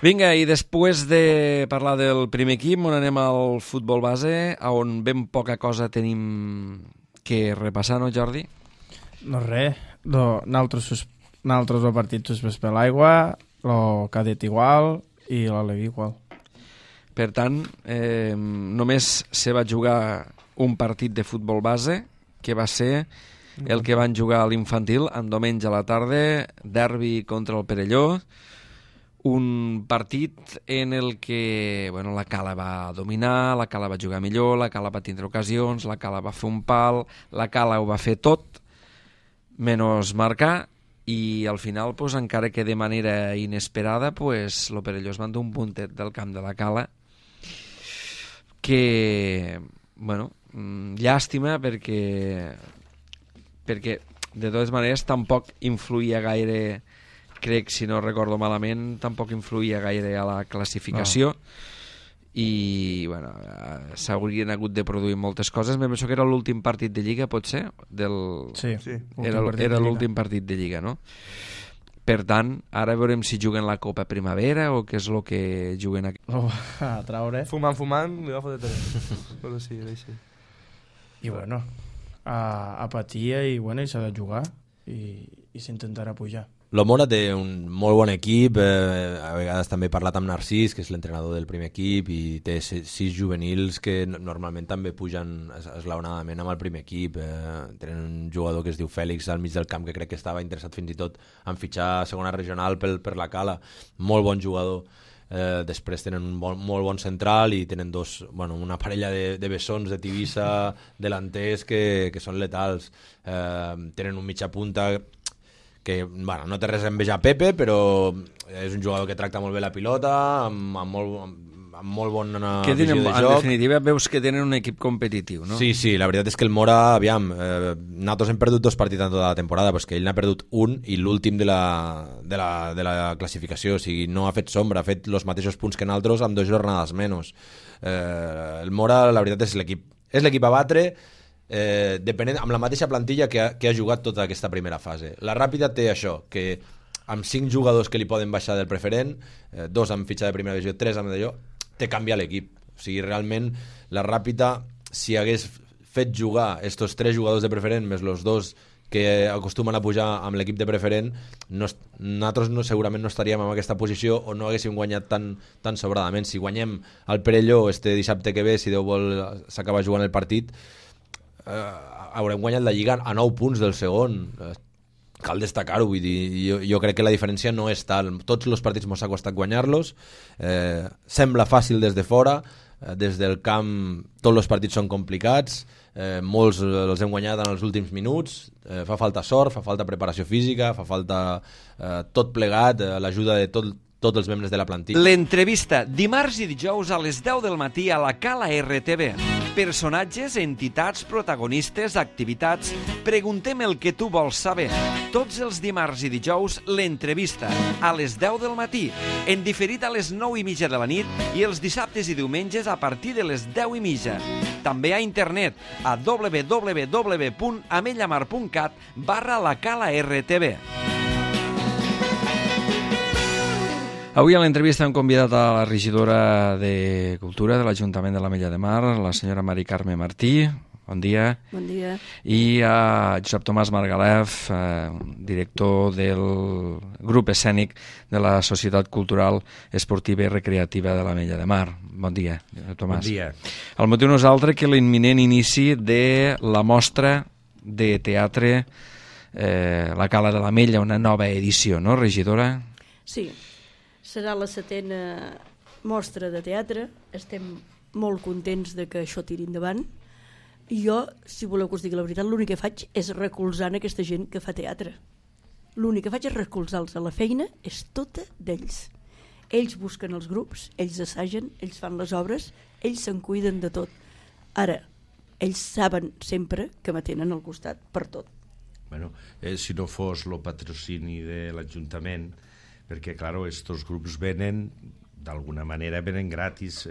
Vinga, i després de parlar del primer equip, on anem al futbol base, on ben poca cosa tenim que repassar, no, Jordi? No res, nosaltres el partit suspès per l'aigua, el cadet igual i l'Alevi igual. Per tant, només se va jugar un partit de futbol base, que va ser el que van jugar a l'infantil en diumenge a la tarda, derbi contra el Perelló, un partit en el que la Cala va dominar, la Cala va jugar millor, la Cala va tindre ocasions, la Cala va fer un pal, la Cala ho va fer tot, menys marcar, i al final, encara que de manera inesperada, el Perelló es va endur un puntet del camp de la Cala, que, llàstima, perquè de totes maneres tampoc influïa gaire, crec, si no recordo malament, tampoc influïa gaire a la classificació, i s'haurien hagut de produir moltes coses. Me penso que era l'últim partit de Lliga, pot ser? Sí. Era l'últim partit de Lliga, no? Per tant, ara veurem si juguen la Copa Primavera o què és el que juguen aquí. A traure. Fumant, li va fotre tres. Però sí, així. I a patir i s'ha de jugar i s'intentarà pujar. L'Omora té un molt bon equip, a vegades també he parlat amb Narcís, que és l'entrenador del primer equip, i té 6 juvenils que normalment també pugen esglaonadament amb el primer equip. Tenen un jugador que es diu Fèlix al mig del camp, que crec que estava interessat fins i tot en fitxar a segona regional per la Cala. Molt bon jugador. Després tenen un molt bon central i tenen una parella de bessons de Tivissa delanters que són letals. Tenen un mitja punta que no té res a envejar Pepe, però és un jugador que tracta molt bé la pilota, amb molt bona visió de joc. En definitiva, veus que tenen un equip competitiu, no? Sí, la veritat és que el Mora, nosaltres hem perdut 2 partits en tota la temporada, però és que ell n'ha perdut un i l'últim de la classificació, o sigui, no ha fet sombra, ha fet els mateixos punts que nosaltres amb 2 jornades menys. El Mora, la veritat, és l'equip a batre, depenent amb la mateixa plantilla que ha jugat tota aquesta primera fase. La Ràpida té això, que amb 5 jugadors que li poden baixar del preferent, 2 amb fitxa de primera divisió, 3 amb d'allò, té canviar l'equip. O sigui, realment la Ràpida, si hagués fet jugar estos 3 jugadors de preferent més els 2 que acostumen a pujar amb l'equip de preferent, nosaltres segurament no estaríem en aquesta posició o no haguéssim guanyat tan sobradament. Si guanyem el Perelló este dissabte que ve, si Déu vol s'acaba jugant el partit, haurem guanyat la Lliga a 9 punts del segon. Cal destacar-ho, vull dir, jo crec que la diferència no és tal. Tots els partits mos ha costat guanyar-los, sembla fàcil des de fora, des del camp tots els partits són complicats, molts els hem guanyat en els últims minuts, fa falta sort, fa falta preparació física, fa falta tot plegat, l'ajuda de tot tots els membres de la plantilla. L'entrevista, dimarts i dijous a les 10 del matí a la Cala RTV. Personatges, entitats, protagonistes, activitats. Preguntem el que tu vols saber. Tots els dimarts i dijous, l'entrevista, a les 10 del matí, en diferit a les 9:30 de la nit i els dissabtes i diumenges a partir de les 10:30. També a internet a www.amellamar.cat/la Cala RTV. Avui a l'entrevista hem convidat a la regidora de Cultura de l'Ajuntament de l'Ametlla de Mar, la senyora Mari Carme Martí. Bon dia. Bon dia. I a Josep Tomàs Margalef, director del grup escènic de la Societat Cultural Esportiva i Recreativa de l'Ametlla de Mar. Bon dia, Tomàs. Bon dia. El motiu no és altre que l'imminent inici de la mostra de teatre La Cala de l'Ametlla, una nova edició, no, regidora? Sí, serà la 7a mostra de teatre. Estem molt contents de que això tiri endavant. I jo, si voleu que us digui la veritat, l'únic que faig és recolzar aquesta gent que fa teatre. L'únic que faig és recolzar-los. La feina és tota d'ells. Ells busquen els grups, ells assagen, ells fan les obres, ells se'n cuiden de tot. Ara, ells saben sempre que m'atenen al costat per tot. Bueno, si no fos el patrocini de l'Ajuntament, perquè, claro, estos grups venen, d'alguna manera venen gratis,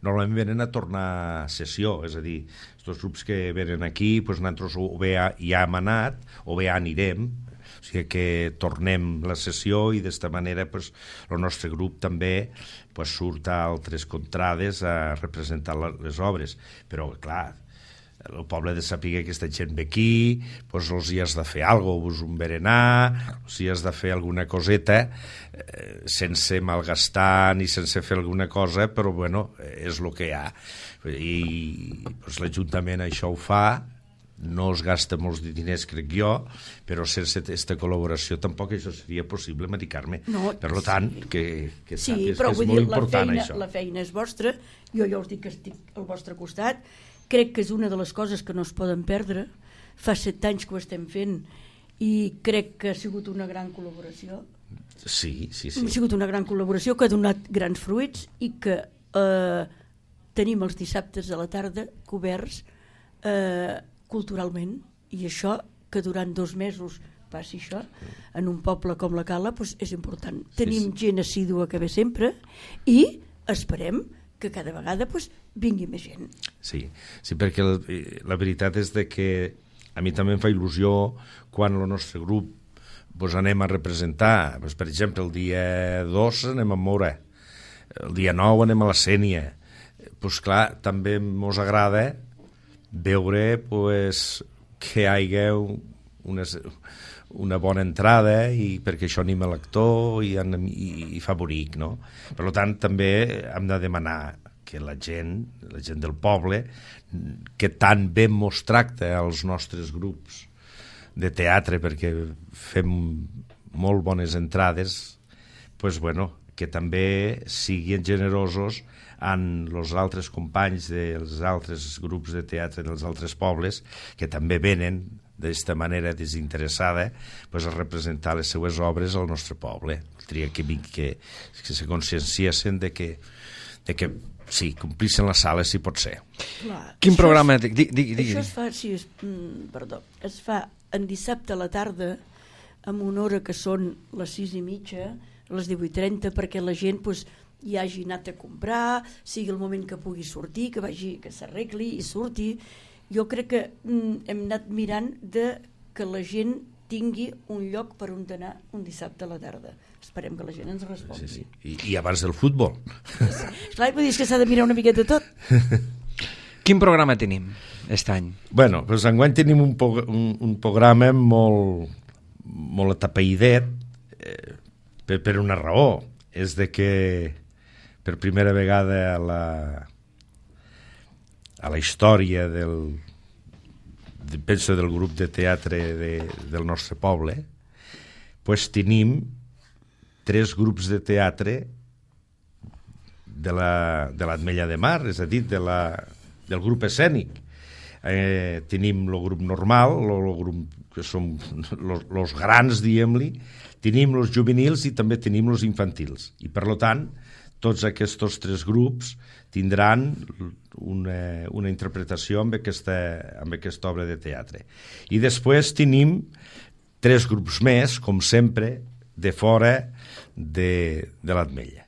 normalment venen a tornar a sessió, és a dir, estos grups que venen aquí, pues nosaltres o bé ja hem anat, o bé ja anirem, o sigui que tornem la sessió i d'esta manera pues, el nostre grup també pues, surt a altres contrades a representar les obres, però clar, el poble de saber que aquesta gent ve aquí, doncs els hi has de fer alguna cosa, un berenar, els hi has de fer alguna coseta, sense malgastar ni sense fer alguna cosa, però bueno, és el que hi ha. I doncs, l'Ajuntament això ho fa, no es gasta molts diners, crec jo, però sense aquesta col·laboració tampoc això seria possible, Mari Carme. No, per tant, que sí, sàpies però que és molt important això. La feina és vostra, jo ja us dic que estic al vostre costat. Crec que és una de les coses que no es poden perdre. Fa 7 anys que ho estem fent i crec que ha sigut una gran col·laboració. Sí. Ha sigut una gran col·laboració que ha donat grans fruits i que tenim els dissabtes a la tarda coberts culturalment, i això, que durant 2 mesos passi això, en un poble com la Cala, doncs és important. Tenim gent assídua que ve sempre i esperem que cada vegada vingui més gent. Sí, perquè la veritat és que a mi també em fa il·lusió quan el nostre grup anem a representar. Per exemple, el dia 2 anem a Mora, el dia 9 anem a la Sénia. Clar, també ens agrada veure que hi hagi una bona entrada i perquè això anima l'actor i fa bonic, no? Per tant, també hem de demanar que la gent del poble, que tan bé mos tracta als nostres grups de teatre, perquè fem molt bones entrades, que també siguin generosos amb els altres companys dels altres grups de teatre dels altres pobles, que també venen d'esta manera desinteressada a representar les seues obres al nostre poble. Que se conscienciessin de que sí, complissin la sala si pot ser. Clar, Quin programa... Això es fa, es fa en dissabte a la tarda amb una hora que són les 6:30, les 18:30, perquè la gent hi hagi anat a comprar, sigui el moment que pugui sortir, que s'arregli i surti. Jo crec que hem anat mirant que la gent tingui un lloc per on anar un dissabte a la tarda. Esperem que la gent ens respongui. Sí. I abans del futbol. Clar, vull dir que s'ha de mirar una miqueta tot. Quin programa tenim aquest any? Bueno, enguany tenim un programa molt atapeïdet per una raó. És de que per primera vegada a la història penso del grup de teatre del nostre poble, tenim 3 grups de teatre de l'Ametlla de Mar, és a dir, del grup escènic. Tenim el grup normal, el grup que som els grans, diguem-li, Tenim els juvenils i també tenim els infantils. I, per tant, tots aquests 3 grups tindran una interpretació amb aquesta obra de teatre. I després tenim 3 grups més, com sempre, de fora de l'Ametlla.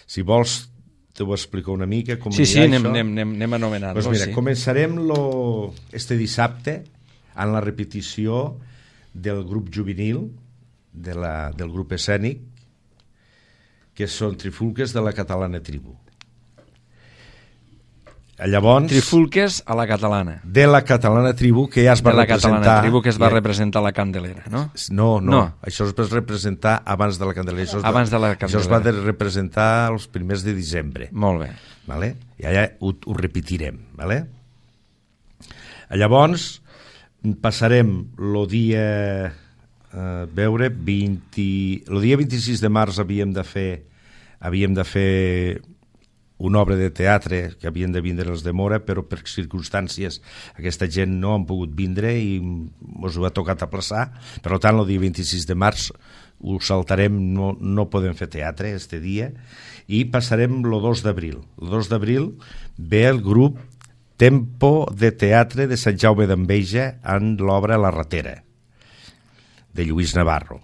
Si vols, te ho explico una mica com sí, anirà això. anem anomenant-lo. Pues mira, començarem este dissabte amb la repetició del grup juvenil, del grup escènic, que són Trifulques de la Catalana Tribu. Llavors, Trifulques a la catalana. De la Catalana Tribu, que ja es va representar... De la Catalana Tribu, que es va representar a la Candelera, no? No. Això es va representar abans de la Candelera. Abans de la Candelera. Això es va representar els primers de desembre. Molt bé. Vale? I allà ho repetirem. Vale? Llavors, passarem el dia... el dia 26 de març havíem de fer una obra de teatre que havien de vindre els de Mora, però per circumstàncies aquesta gent no han pogut vindre i ens ho ha tocat aplaçar. Per tant, el dia 26 de març ho saltarem, no podem fer teatre este dia, i passarem el 2 d'abril. El 2 d'abril ve el grup Tempo de Teatre de Sant Jaume d'Enveja en l'obra La Ratera, de Lluís Navarro.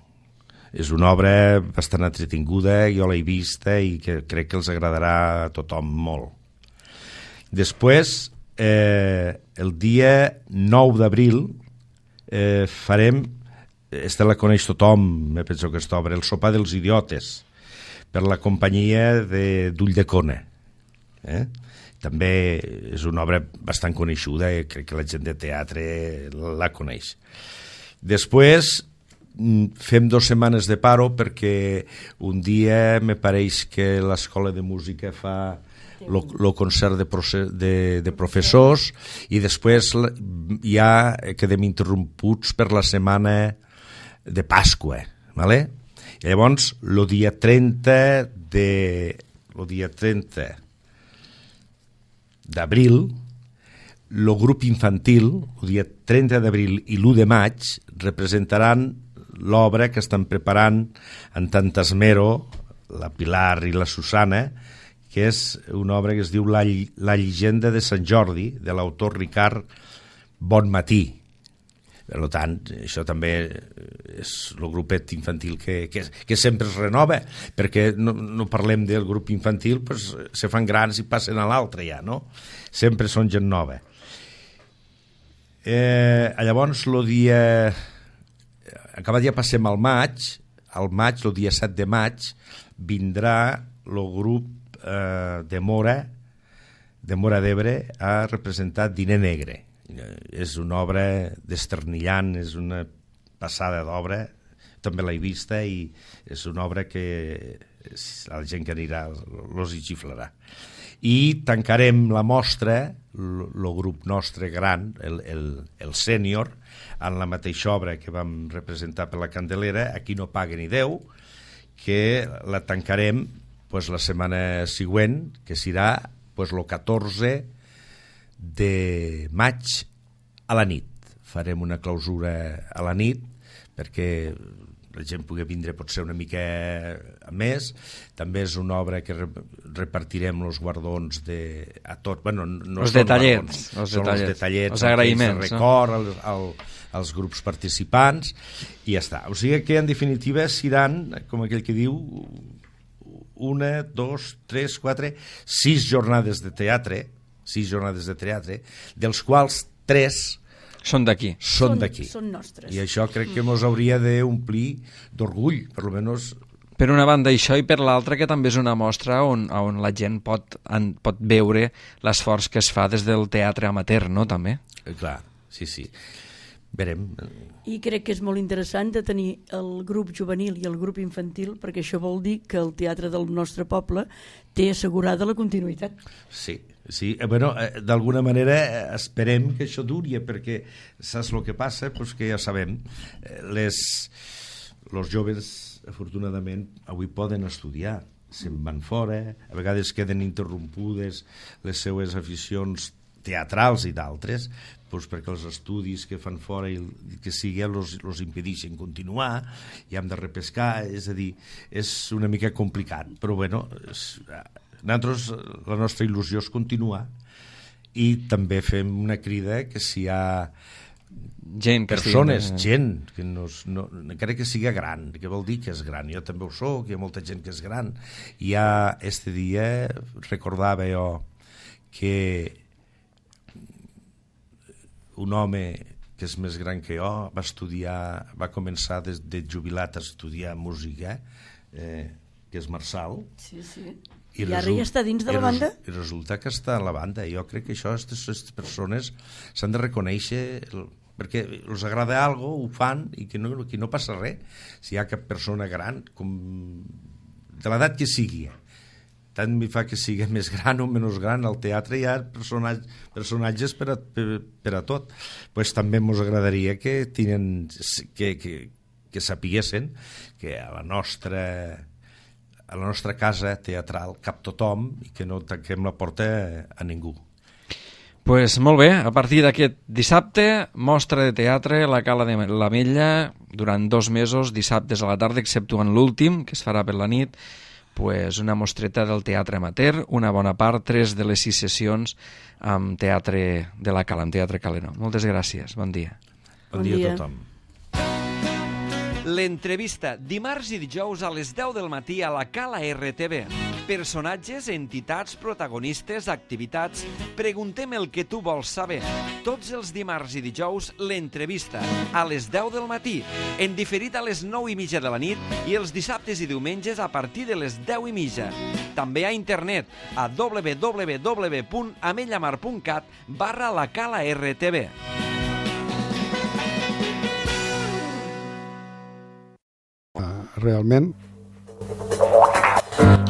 És una obra bastant entretinguda, jo l'he vista i que crec que els agradarà a tothom molt. Després, el dia 9 d'abril, farem, esta la coneix tothom, me penso que aquesta obra, El sopar dels idiotes, per la companyia d'Ull de Cona. També és una obra bastant coneixuda, crec que la gent de teatre la coneix. Després, fem 2 setmanes de paro perquè un dia me pareix que l'Escola de Música fa el concert de professors i després ja quedem interromputs per la setmana de Pasqua, ¿vale? I llavors el dia 30 d'abril el grup infantil, el dia 30 d'abril i l'1 de maig representaran l'obra que estan preparant en tant esmero la Pilar i la Susana, que és una obra que es diu La llegenda de Sant Jordi, de l'autor Ricard Bonmatí. Per tant, això també és el grupet infantil que sempre es renova, perquè no parlem del grup infantil, pues, se fan grans i passen a l'altre ja, no? Sempre són gent nova. Llavors, el dia... Acabat ja passem al maig, el dia 7 de maig, vindrà el grup de Mora d'Ebre a representar Diner Negre. És una obra desternillant, és una passada d'obra, també l'he vista i és una obra que la gent que anirà els hi xiflarà. I tancarem la mostra, el grup nostre gran, el sènior, en la mateixa obra que vam representar per la Candelera, Aquí no paga ni Déu, que la tancarem la setmana següent, que serà el 14 de maig a la nit. Farem una clausura a la nit perquè la gent pugui vindre potser una mica més. També és una obra que repartirem els guardons a tot. Bueno, no els detallets. Són els detallets, els agraïments. El record als grups participants i ja està. O sigui que, en definitiva, seran, com aquell que diu, 1, 2, 3, 4, 6 jornades de teatre, dels quals 3 són d'aquí. Són nostres. I això crec que ens hauria d'omplir d'orgull, per almenys. Per una banda això i per l'altra que també és una mostra on la gent pot veure l'esforç que es fa des del teatre amateur, no, també? Clar, sí. Verem. I crec que és molt interessant de tenir el grup juvenil i el grup infantil, perquè això vol dir que el teatre del nostre poble té assegurada la continuïtat. Sí. Bueno, d'alguna manera esperem que això duri, perquè saps el que passa? Pues que ja sabem, els joves, afortunadament, avui poden estudiar, se'n van fora, a vegades queden interrompudes les seues aficions teatrals i d'altres, doncs perquè els estudis que fan fora i que sigui els impedeixen continuar i hem de repescar, és a dir, és una mica complicat, però bueno, nosaltres la nostra il·lusió és continuar i també fem una crida que si hi ha persones, gent que encara que sigui gran, que vol dir que és gran, jo també ho soc, hi ha molta gent que és gran. Ja este dia recordava jo que un home que és més gran que jo va començar de jubilat a estudiar música, que és Marçal. Sí. I ara ja està dins de la banda? I resulta que està a la banda. Jo crec que això, aquestes persones s'han de reconèixer, perquè els agrada alguna cosa, ho fan, i que no passa res. Si hi ha cap persona gran, de l'edat que sigui, tant m'hi fa que sigui més gran o menys gran, al teatre hi ha personatges per a tot. Pues també ens agradaria que sapiguessin que a la nostra casa teatral cap tothom i que no tanquem la porta a ningú. Pues molt bé, a partir d'aquest dissabte, mostra de teatre a la Cala de l'Ametlla durant 2 mesos, dissabtes a la tarda, exceptuant l'últim, que es farà per la nit, pues una mostreta del teatre amateur, una bona part, 3 de les 6 sessions amb teatre de la Cala, amb Teatre Caleno. Moltes gràcies, bon dia. Bon dia a tothom. L'entrevista, dimarts i dijous a les 10 del matí a la Cala RTV. Personatges, entitats, protagonistes, activitats. Preguntem el que tu vols saber. Tots els dimarts i dijous, l'entrevista, a les 10 del matí, en diferit a les 9:30 de la nit i els dissabtes i diumenges a partir de les 10:30. També a internet a www.amellamar.cat/la Cala RTV. Realment.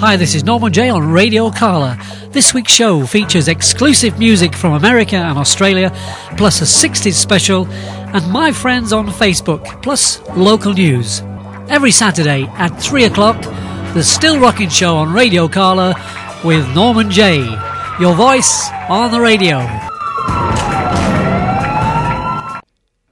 Hi, this is Norman Jay on Radio Carla. This week's show features exclusive music from America and Australia, plus a 60s special, and my friends on Facebook, plus local news. Every Saturday at 3 o'clock, the Still Rocking Show on Radio Carla with Norman Jay, your voice on the radio.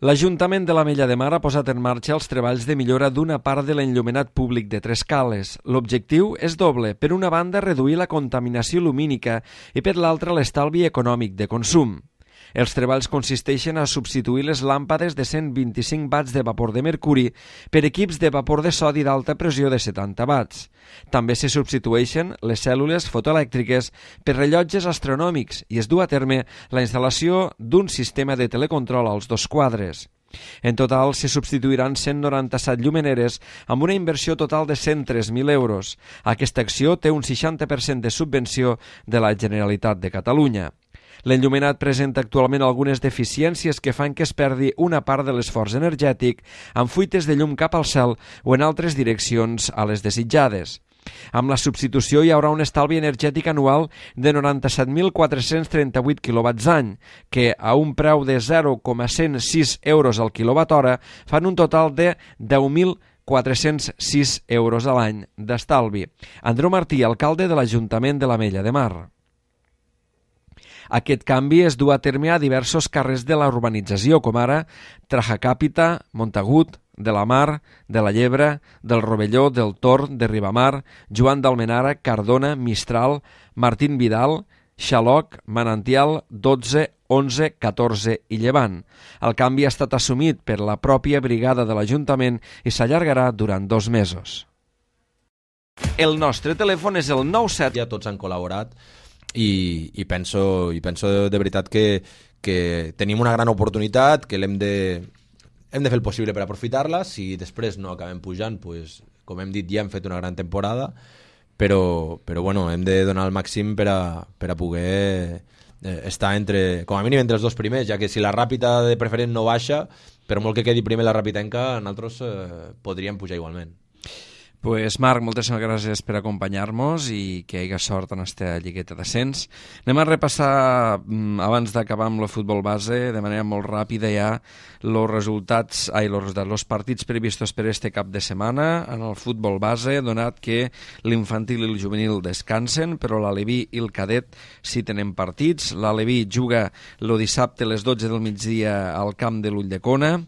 L'Ajuntament de l'Ametlla de Mar ha posat en marxa els treballs de millora d'una part de l'enllumenat públic de Tres Cales. L'objectiu és doble. Per una banda, reduir la contaminació lumínica i per l'altra, l'estalvi econòmic de consum. Els treballs consisteixen a substituir les làmpades de 125 watts de vapor de mercuri per equips de vapor de sodi d'alta pressió de 70 watts. També se substitueixen les cèl·lules fotoelèctriques per rellotges astronòmics i es du a terme la instal·lació d'un sistema de telecontrol als 2 quadres. En total, se substituiran 197 llumeneres amb una inversió total de 103.000 euros. Aquesta acció té un 60% de subvenció de la Generalitat de Catalunya. L'enllumenat presenta actualment algunes deficiències que fan que es perdi una part de l'esforç energètic amb fuites de llum cap al cel o en altres direccions a les desitjades. Amb la substitució hi haurà un estalvi energètic anual de 97.438 kWh, que a un preu de 0,106 euros al quilowatt-hora fan un total de 10.406 euros a l'any d'estalvi. Andreu Martí, alcalde de l'Ajuntament de l'Ametlla de Mar. Aquest canvi es du a terme a diversos carrers de la urbanització, com ara Trajacàpita, Montagut, de la Mar, de la Llebre, del Rovelló, del Tor, de Ribamar, Joan d'Almenara, Cardona, Mistral, Martín Vidal, Xaloc, Manantial, 12, 11, 14 i Llevant. El canvi ha estat assumit per la pròpia brigada de l'Ajuntament i s'allargarà durant 2 mesos. El nostre telèfon és el 97... Ja tots han col·laborat i penso de veritat que tenim una gran oportunitat, que hem de fer el possible per aprofitar-la. Si després no acabem pujant, pues, com hem dit, ja hem fet una gran temporada, però bueno, hem de donar el màxim per a poder estar com a mínim entre els 2 primers, ja que si la Ràpita de preferent no baixa, per molt que quedi primer la Ràpitenca, nosaltres podríem pujar igualment. Pues Marc, moltíssimes gràcies per acompanyar-nos i que hi hagi sort en aquesta lligueta d'ascens. Anem a repassar, abans d'acabar amb el futbol base, de manera molt ràpida ja, els partits previstos per este cap de setmana en el futbol base, donat que l'infantil i el juvenil descansen, però l'Aleví i el cadet sí tenen partits. L'Aleví juga el dissabte a les 12 del migdia al camp de l'Ulldecona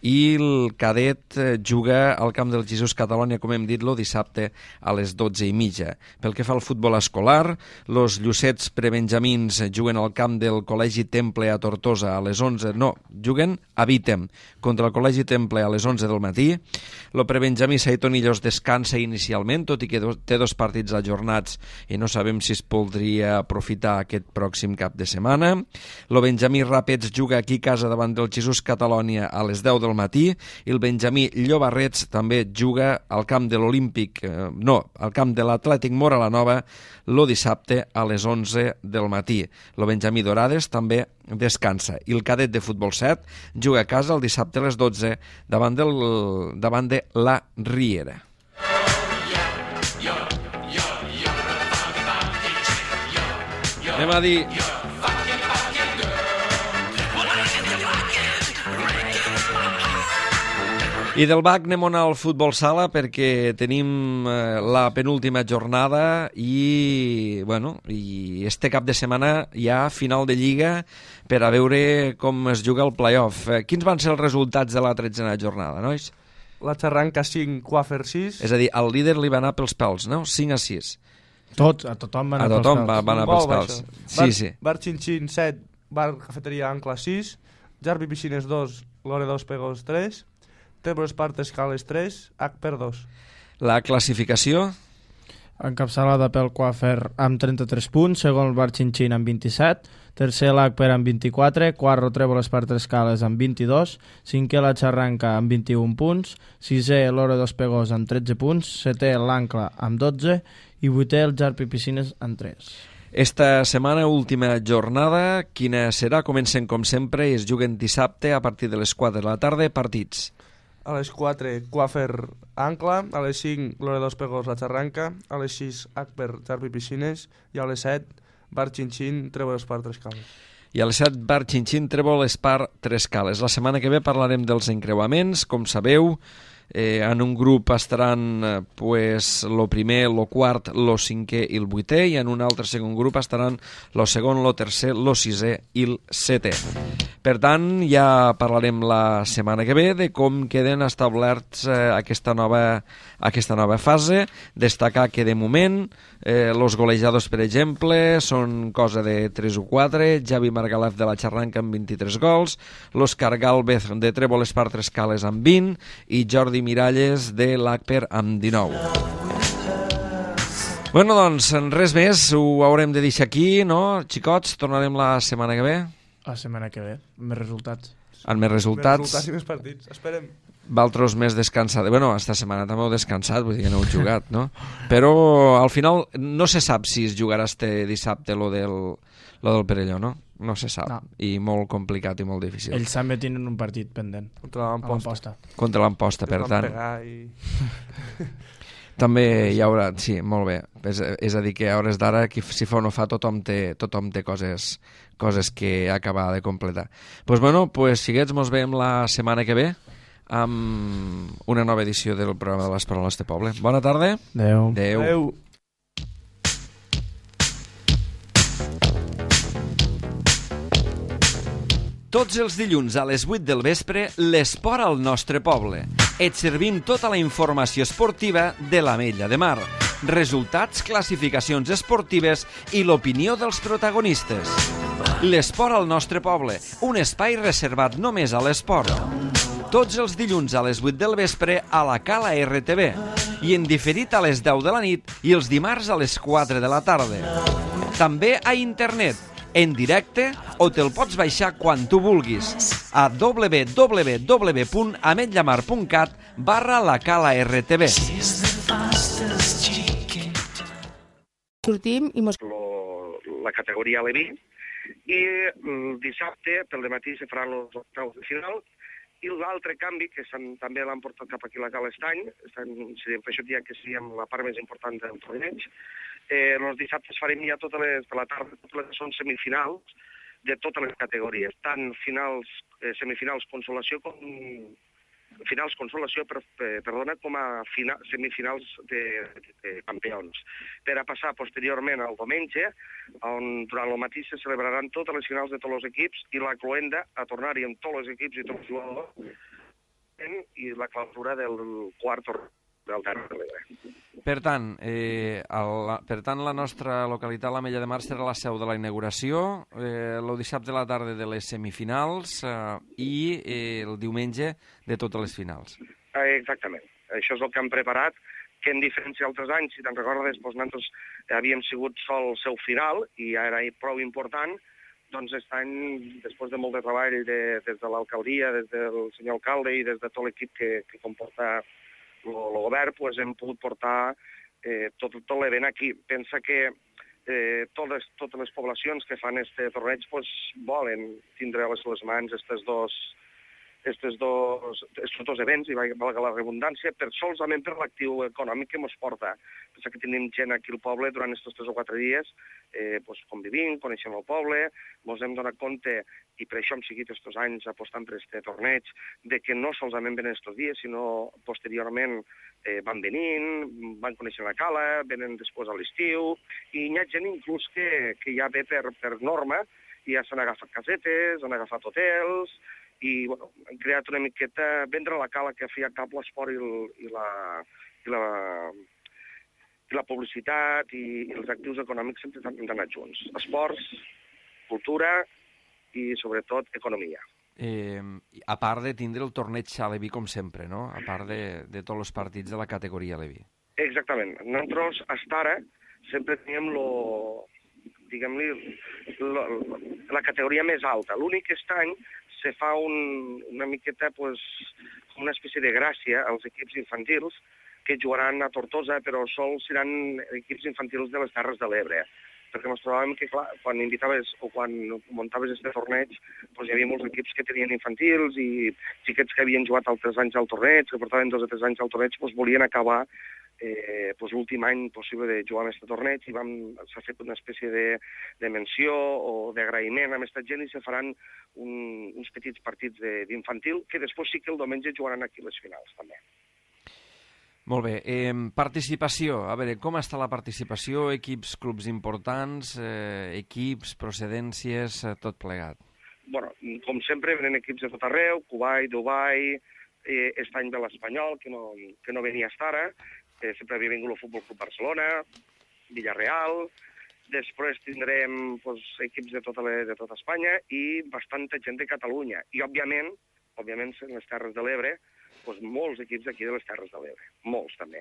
i el cadet juga al camp del Jesús Catalònia, com hem dit, el dissabte a les 12:30. Pel que fa al futbol escolar, els Llucets prebenjamins juguen al camp del Col·legi Temple a Tortosa a les 11, juguen a Vítem contra el Col·legi Temple a les 11 del matí. El prebenjamí Saitonillos descansa inicialment, tot i que té 2 partits ajornats i no sabem si es podria aprofitar aquest pròxim cap de setmana. El benjamí Ràpets juga aquí a casa davant del Jesús Catalònia a les 10 del matí i el benjamí Llobarrets també juga al camp de al camp de l'Atlètic Mora la Nova el dissabte a les 11 del matí. El benjamí Dorades també descansa i el cadet de futbol 7 juga a casa el dissabte a les 12 davant de la Riera. Anem a dir... I del BAC anem al futbol sala perquè tenim la penúltima jornada i este cap de setmana hi ha final de Lliga per a veure com es juga el play-off. Quins van ser els resultats de la 13a jornada, nois? La Xarranca 5, Quafer 6. És a dir, al líder li va anar pels pèls, no? 5-6. A tothom va anar pels pèls. Sí. Bar Xinxin 7, Bar Cafeteria Ancla 6, Jarbi Piscines 2, Lore 2 Pegos 3, Tebro Espart Escales 3, Acper 2. La classificació? Encapçalada pel Quafer amb 33 punts, segon el Bar Xinxin amb 27, tercer l'Acper amb 24, quart Trèvol Espart Escales amb 22, cinquè la Xarranca amb 21 punts, sisè l'Hora dos Pegós amb 13 punts, setè l'Ancla amb 12 i vuitè el Jarpi Piscines amb 3. Esta setmana, última jornada, quina serà? Comencen com sempre i es juguen dissabte a partir de les 4 de la tarda, partits. A les 4, Quafer Ancla, a les 5, Lore dos Pegos La Xarranca, a les 6, Acper Jarpi Piscines i a les 7, Bar Xinxin, Trèvol Espart Escales. I a les 7, Bar Xinxin, Trèvol Espart Escales. La setmana que ve parlarem dels encreuaments, com sabeu. En un grup estaran el primer, el quart, el cinquè i el vuitè, i en un altre segon grup estaran el segon, el tercer, el sisè i el setè. Per tant, ja parlarem la setmana que ve de com queden establerts aquesta nova fase. Destacar que de moment els golejadors, per exemple, són cosa de 3 o 4, Javi Margalef de la Xarranca amb 23 gols, l'Òscar Gálvez de Trèvol Espart Escales amb 20 i Jordi Miralles de l'Acper amb 19. Bueno, doncs, res més, ho haurem de deixar aquí, no? Xicots, tornarem la setmana que ve. La setmana que ve, amb més resultats. Amb més resultats. Més resultats i més partits, esperem. Valtros més descansats. Bueno, esta setmana també heu descansat, vull dir que no heu jugat, no? Però al final no se sap si es jugarà este dissabte lo del Perelló, no? No se sap. No. I molt complicat i molt difícil. Ells també tenen un partit pendent. Contra l'Amposta. Contra l'Amposta, per tant. També hi haurà... Sí, molt bé. És a dir, que a hores d'ara, si fa o no fa, tothom té coses que acabar de completar. Doncs bueno, xiquets, mos veiem la setmana que ve amb una nova edició del programa de les Paraules de Poble. Bona tarda. Adéu. Adéu. Tots els dilluns a les 8 del vespre, l'esport al nostre poble. Et servim tota la informació esportiva de l'Ametlla de Mar, resultats, classificacions esportives i l'opinió dels protagonistes. L'esport al nostre poble, un espai reservat només a l'esport. Tots els dilluns a les 8 del vespre a la Cala RTV i en diferit a les 10 de la nit i els dimarts a les 4 de la tarda. També a internet, en directe, o te'l pots baixar quan tu vulguis a www.ametllamar.cat/lacala-rtv. Sortim i mos... La categoria Aleví i el dissabte pel dematí se faran els octaus de final I l'altre canvi, que també l'han portat cap aquí a la Cala Estany, per això diria que seria la part més important del torneig, els dissabtes farem ja totes les de la tarda, totes les que són semifinals de totes les categories, tant semifinals consolació com finals consolació, com a semifinals de campions, per a passar posteriorment al diumenge, on durant el matí se celebraran totes les finals de tots els equips i la cloenda a tornar-hi amb tots els equips i tots els jugadors i la clausura del quart torneig del Terra de l'Ebre. Per tant, la nostra localitat, l'Ametlla de Mar, serà la seu de la inauguració, el dissabte de la tarda de les semifinals i el diumenge de totes les finals. Exactament. Això és el que hem preparat, que en diferència d'altres anys, si te'n recordes, nosaltres havíem sigut sol seu final i ja era prou important, doncs aquest any, després de molt de treball des de l'alcaldia, des del senyor alcalde i des de tot l'equip que comporta el govern, hem pogut portar tot l'event aquí. Pensa que totes les poblacions que fan aquest torneig volen tindre a les mans estos dos events, i valga la redundància, solament per l'actiu econòmic que ens porta. Pensa que tenim gent aquí al poble durant aquests 3 o 4 dies, convivint, coneixem el poble, ens hem donat compte, i per això hem seguit aquests anys apostant per aquest torneig, de que no solament venen aquests dies, sinó posteriorment van venint, van conèixer la cala, venen després a l'estiu, i hi ha gent inclús que ja ve per norma, i ja s'han agafat casetes, han agafat hotels, i han creat una miqueta, vendre la cala que feia cap l'esport i la publicitat i els actius econòmics sempre han d'anar junts. Esports, cultura i, sobretot, economia. A part de tindre el torneig a Leví, com sempre, no? A part de tots els partits de la categoria Leví. Exactament. Nosaltres, fins ara, sempre teníem la categoria més alta. L'únic que aquest any se fa una miqueta, una espècie de gràcia als equips infantils que jugaran a Tortosa, però sols seran equips infantils de les Terres de l'Ebre. Perquè ens trobàvem que, clar, quan invitaves o quan muntaves aquest torneig, hi havia molts equips que tenien infantils i xiquets que havien jugat altres anys al torneig, que portaven 2 o 3 anys al torneig, volien acabar l'últim any possible de jugar en aquest torneig, i s'ha fet una espècie de menció o d'agraïment a aquesta gent i se faran uns petits partits d'infantil que després sí que el diumenge jugaran aquí les finals també. Molt bé. Participació. A veure, com està la participació? Equips, clubs importants, equips, procedències, tot plegat? Bueno, com sempre, venen equips de tot arreu, Kuwait, Dubai, aquest any ve l'Espanyol, que no venia fins ara, sempre havia vingut el Futbol Club Barcelona, Villarreal, després tindrem equips de tota Espanya i bastanta gent de Catalunya. I, òbviament, en les Terres de l'Ebre, molts equips d'aquí de les Terres de l'Ebre, molts també.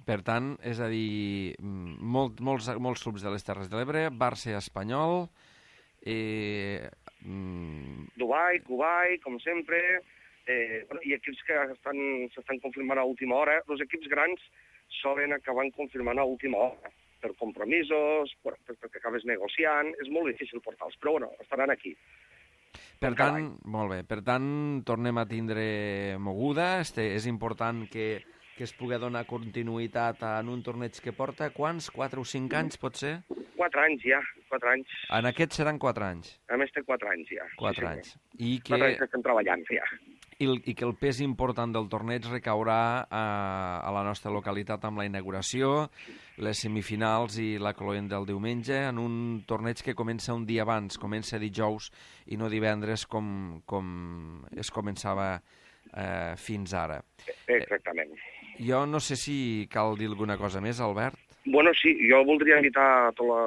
Per tant, és a dir, molts clubs de les Terres de l'Ebre, Barça espanyol, Dubai, Kuwait, com sempre, i equips que s'estan confirmant a última hora. Els equips grans solen acabar confirmant a última hora, per compromisos, perquè acabes negociant, és molt difícil portar-los, però estaran aquí. Per tant, molt bé, per tant, tornem a tindre moguda, és important que es pugui donar continuïtat en un torneig que porta, quants? 4 o 5 anys, pot ser? 4 anys, ja, 4 anys. En aquest seran 4 anys? A més té 4 anys, ja. 4 anys. I 4 anys que estem treballant, ja. I que el pes important del torneig recaurà a la nostra localitat amb la inauguració, les semifinals i la cloenda del diumenge, en un torneig que comença un dia abans, comença dijous i no divendres com es començava fins ara. Exactament. Jo no sé si cal dir alguna cosa més, Albert. Bueno, sí, jo voldria invitar a tota la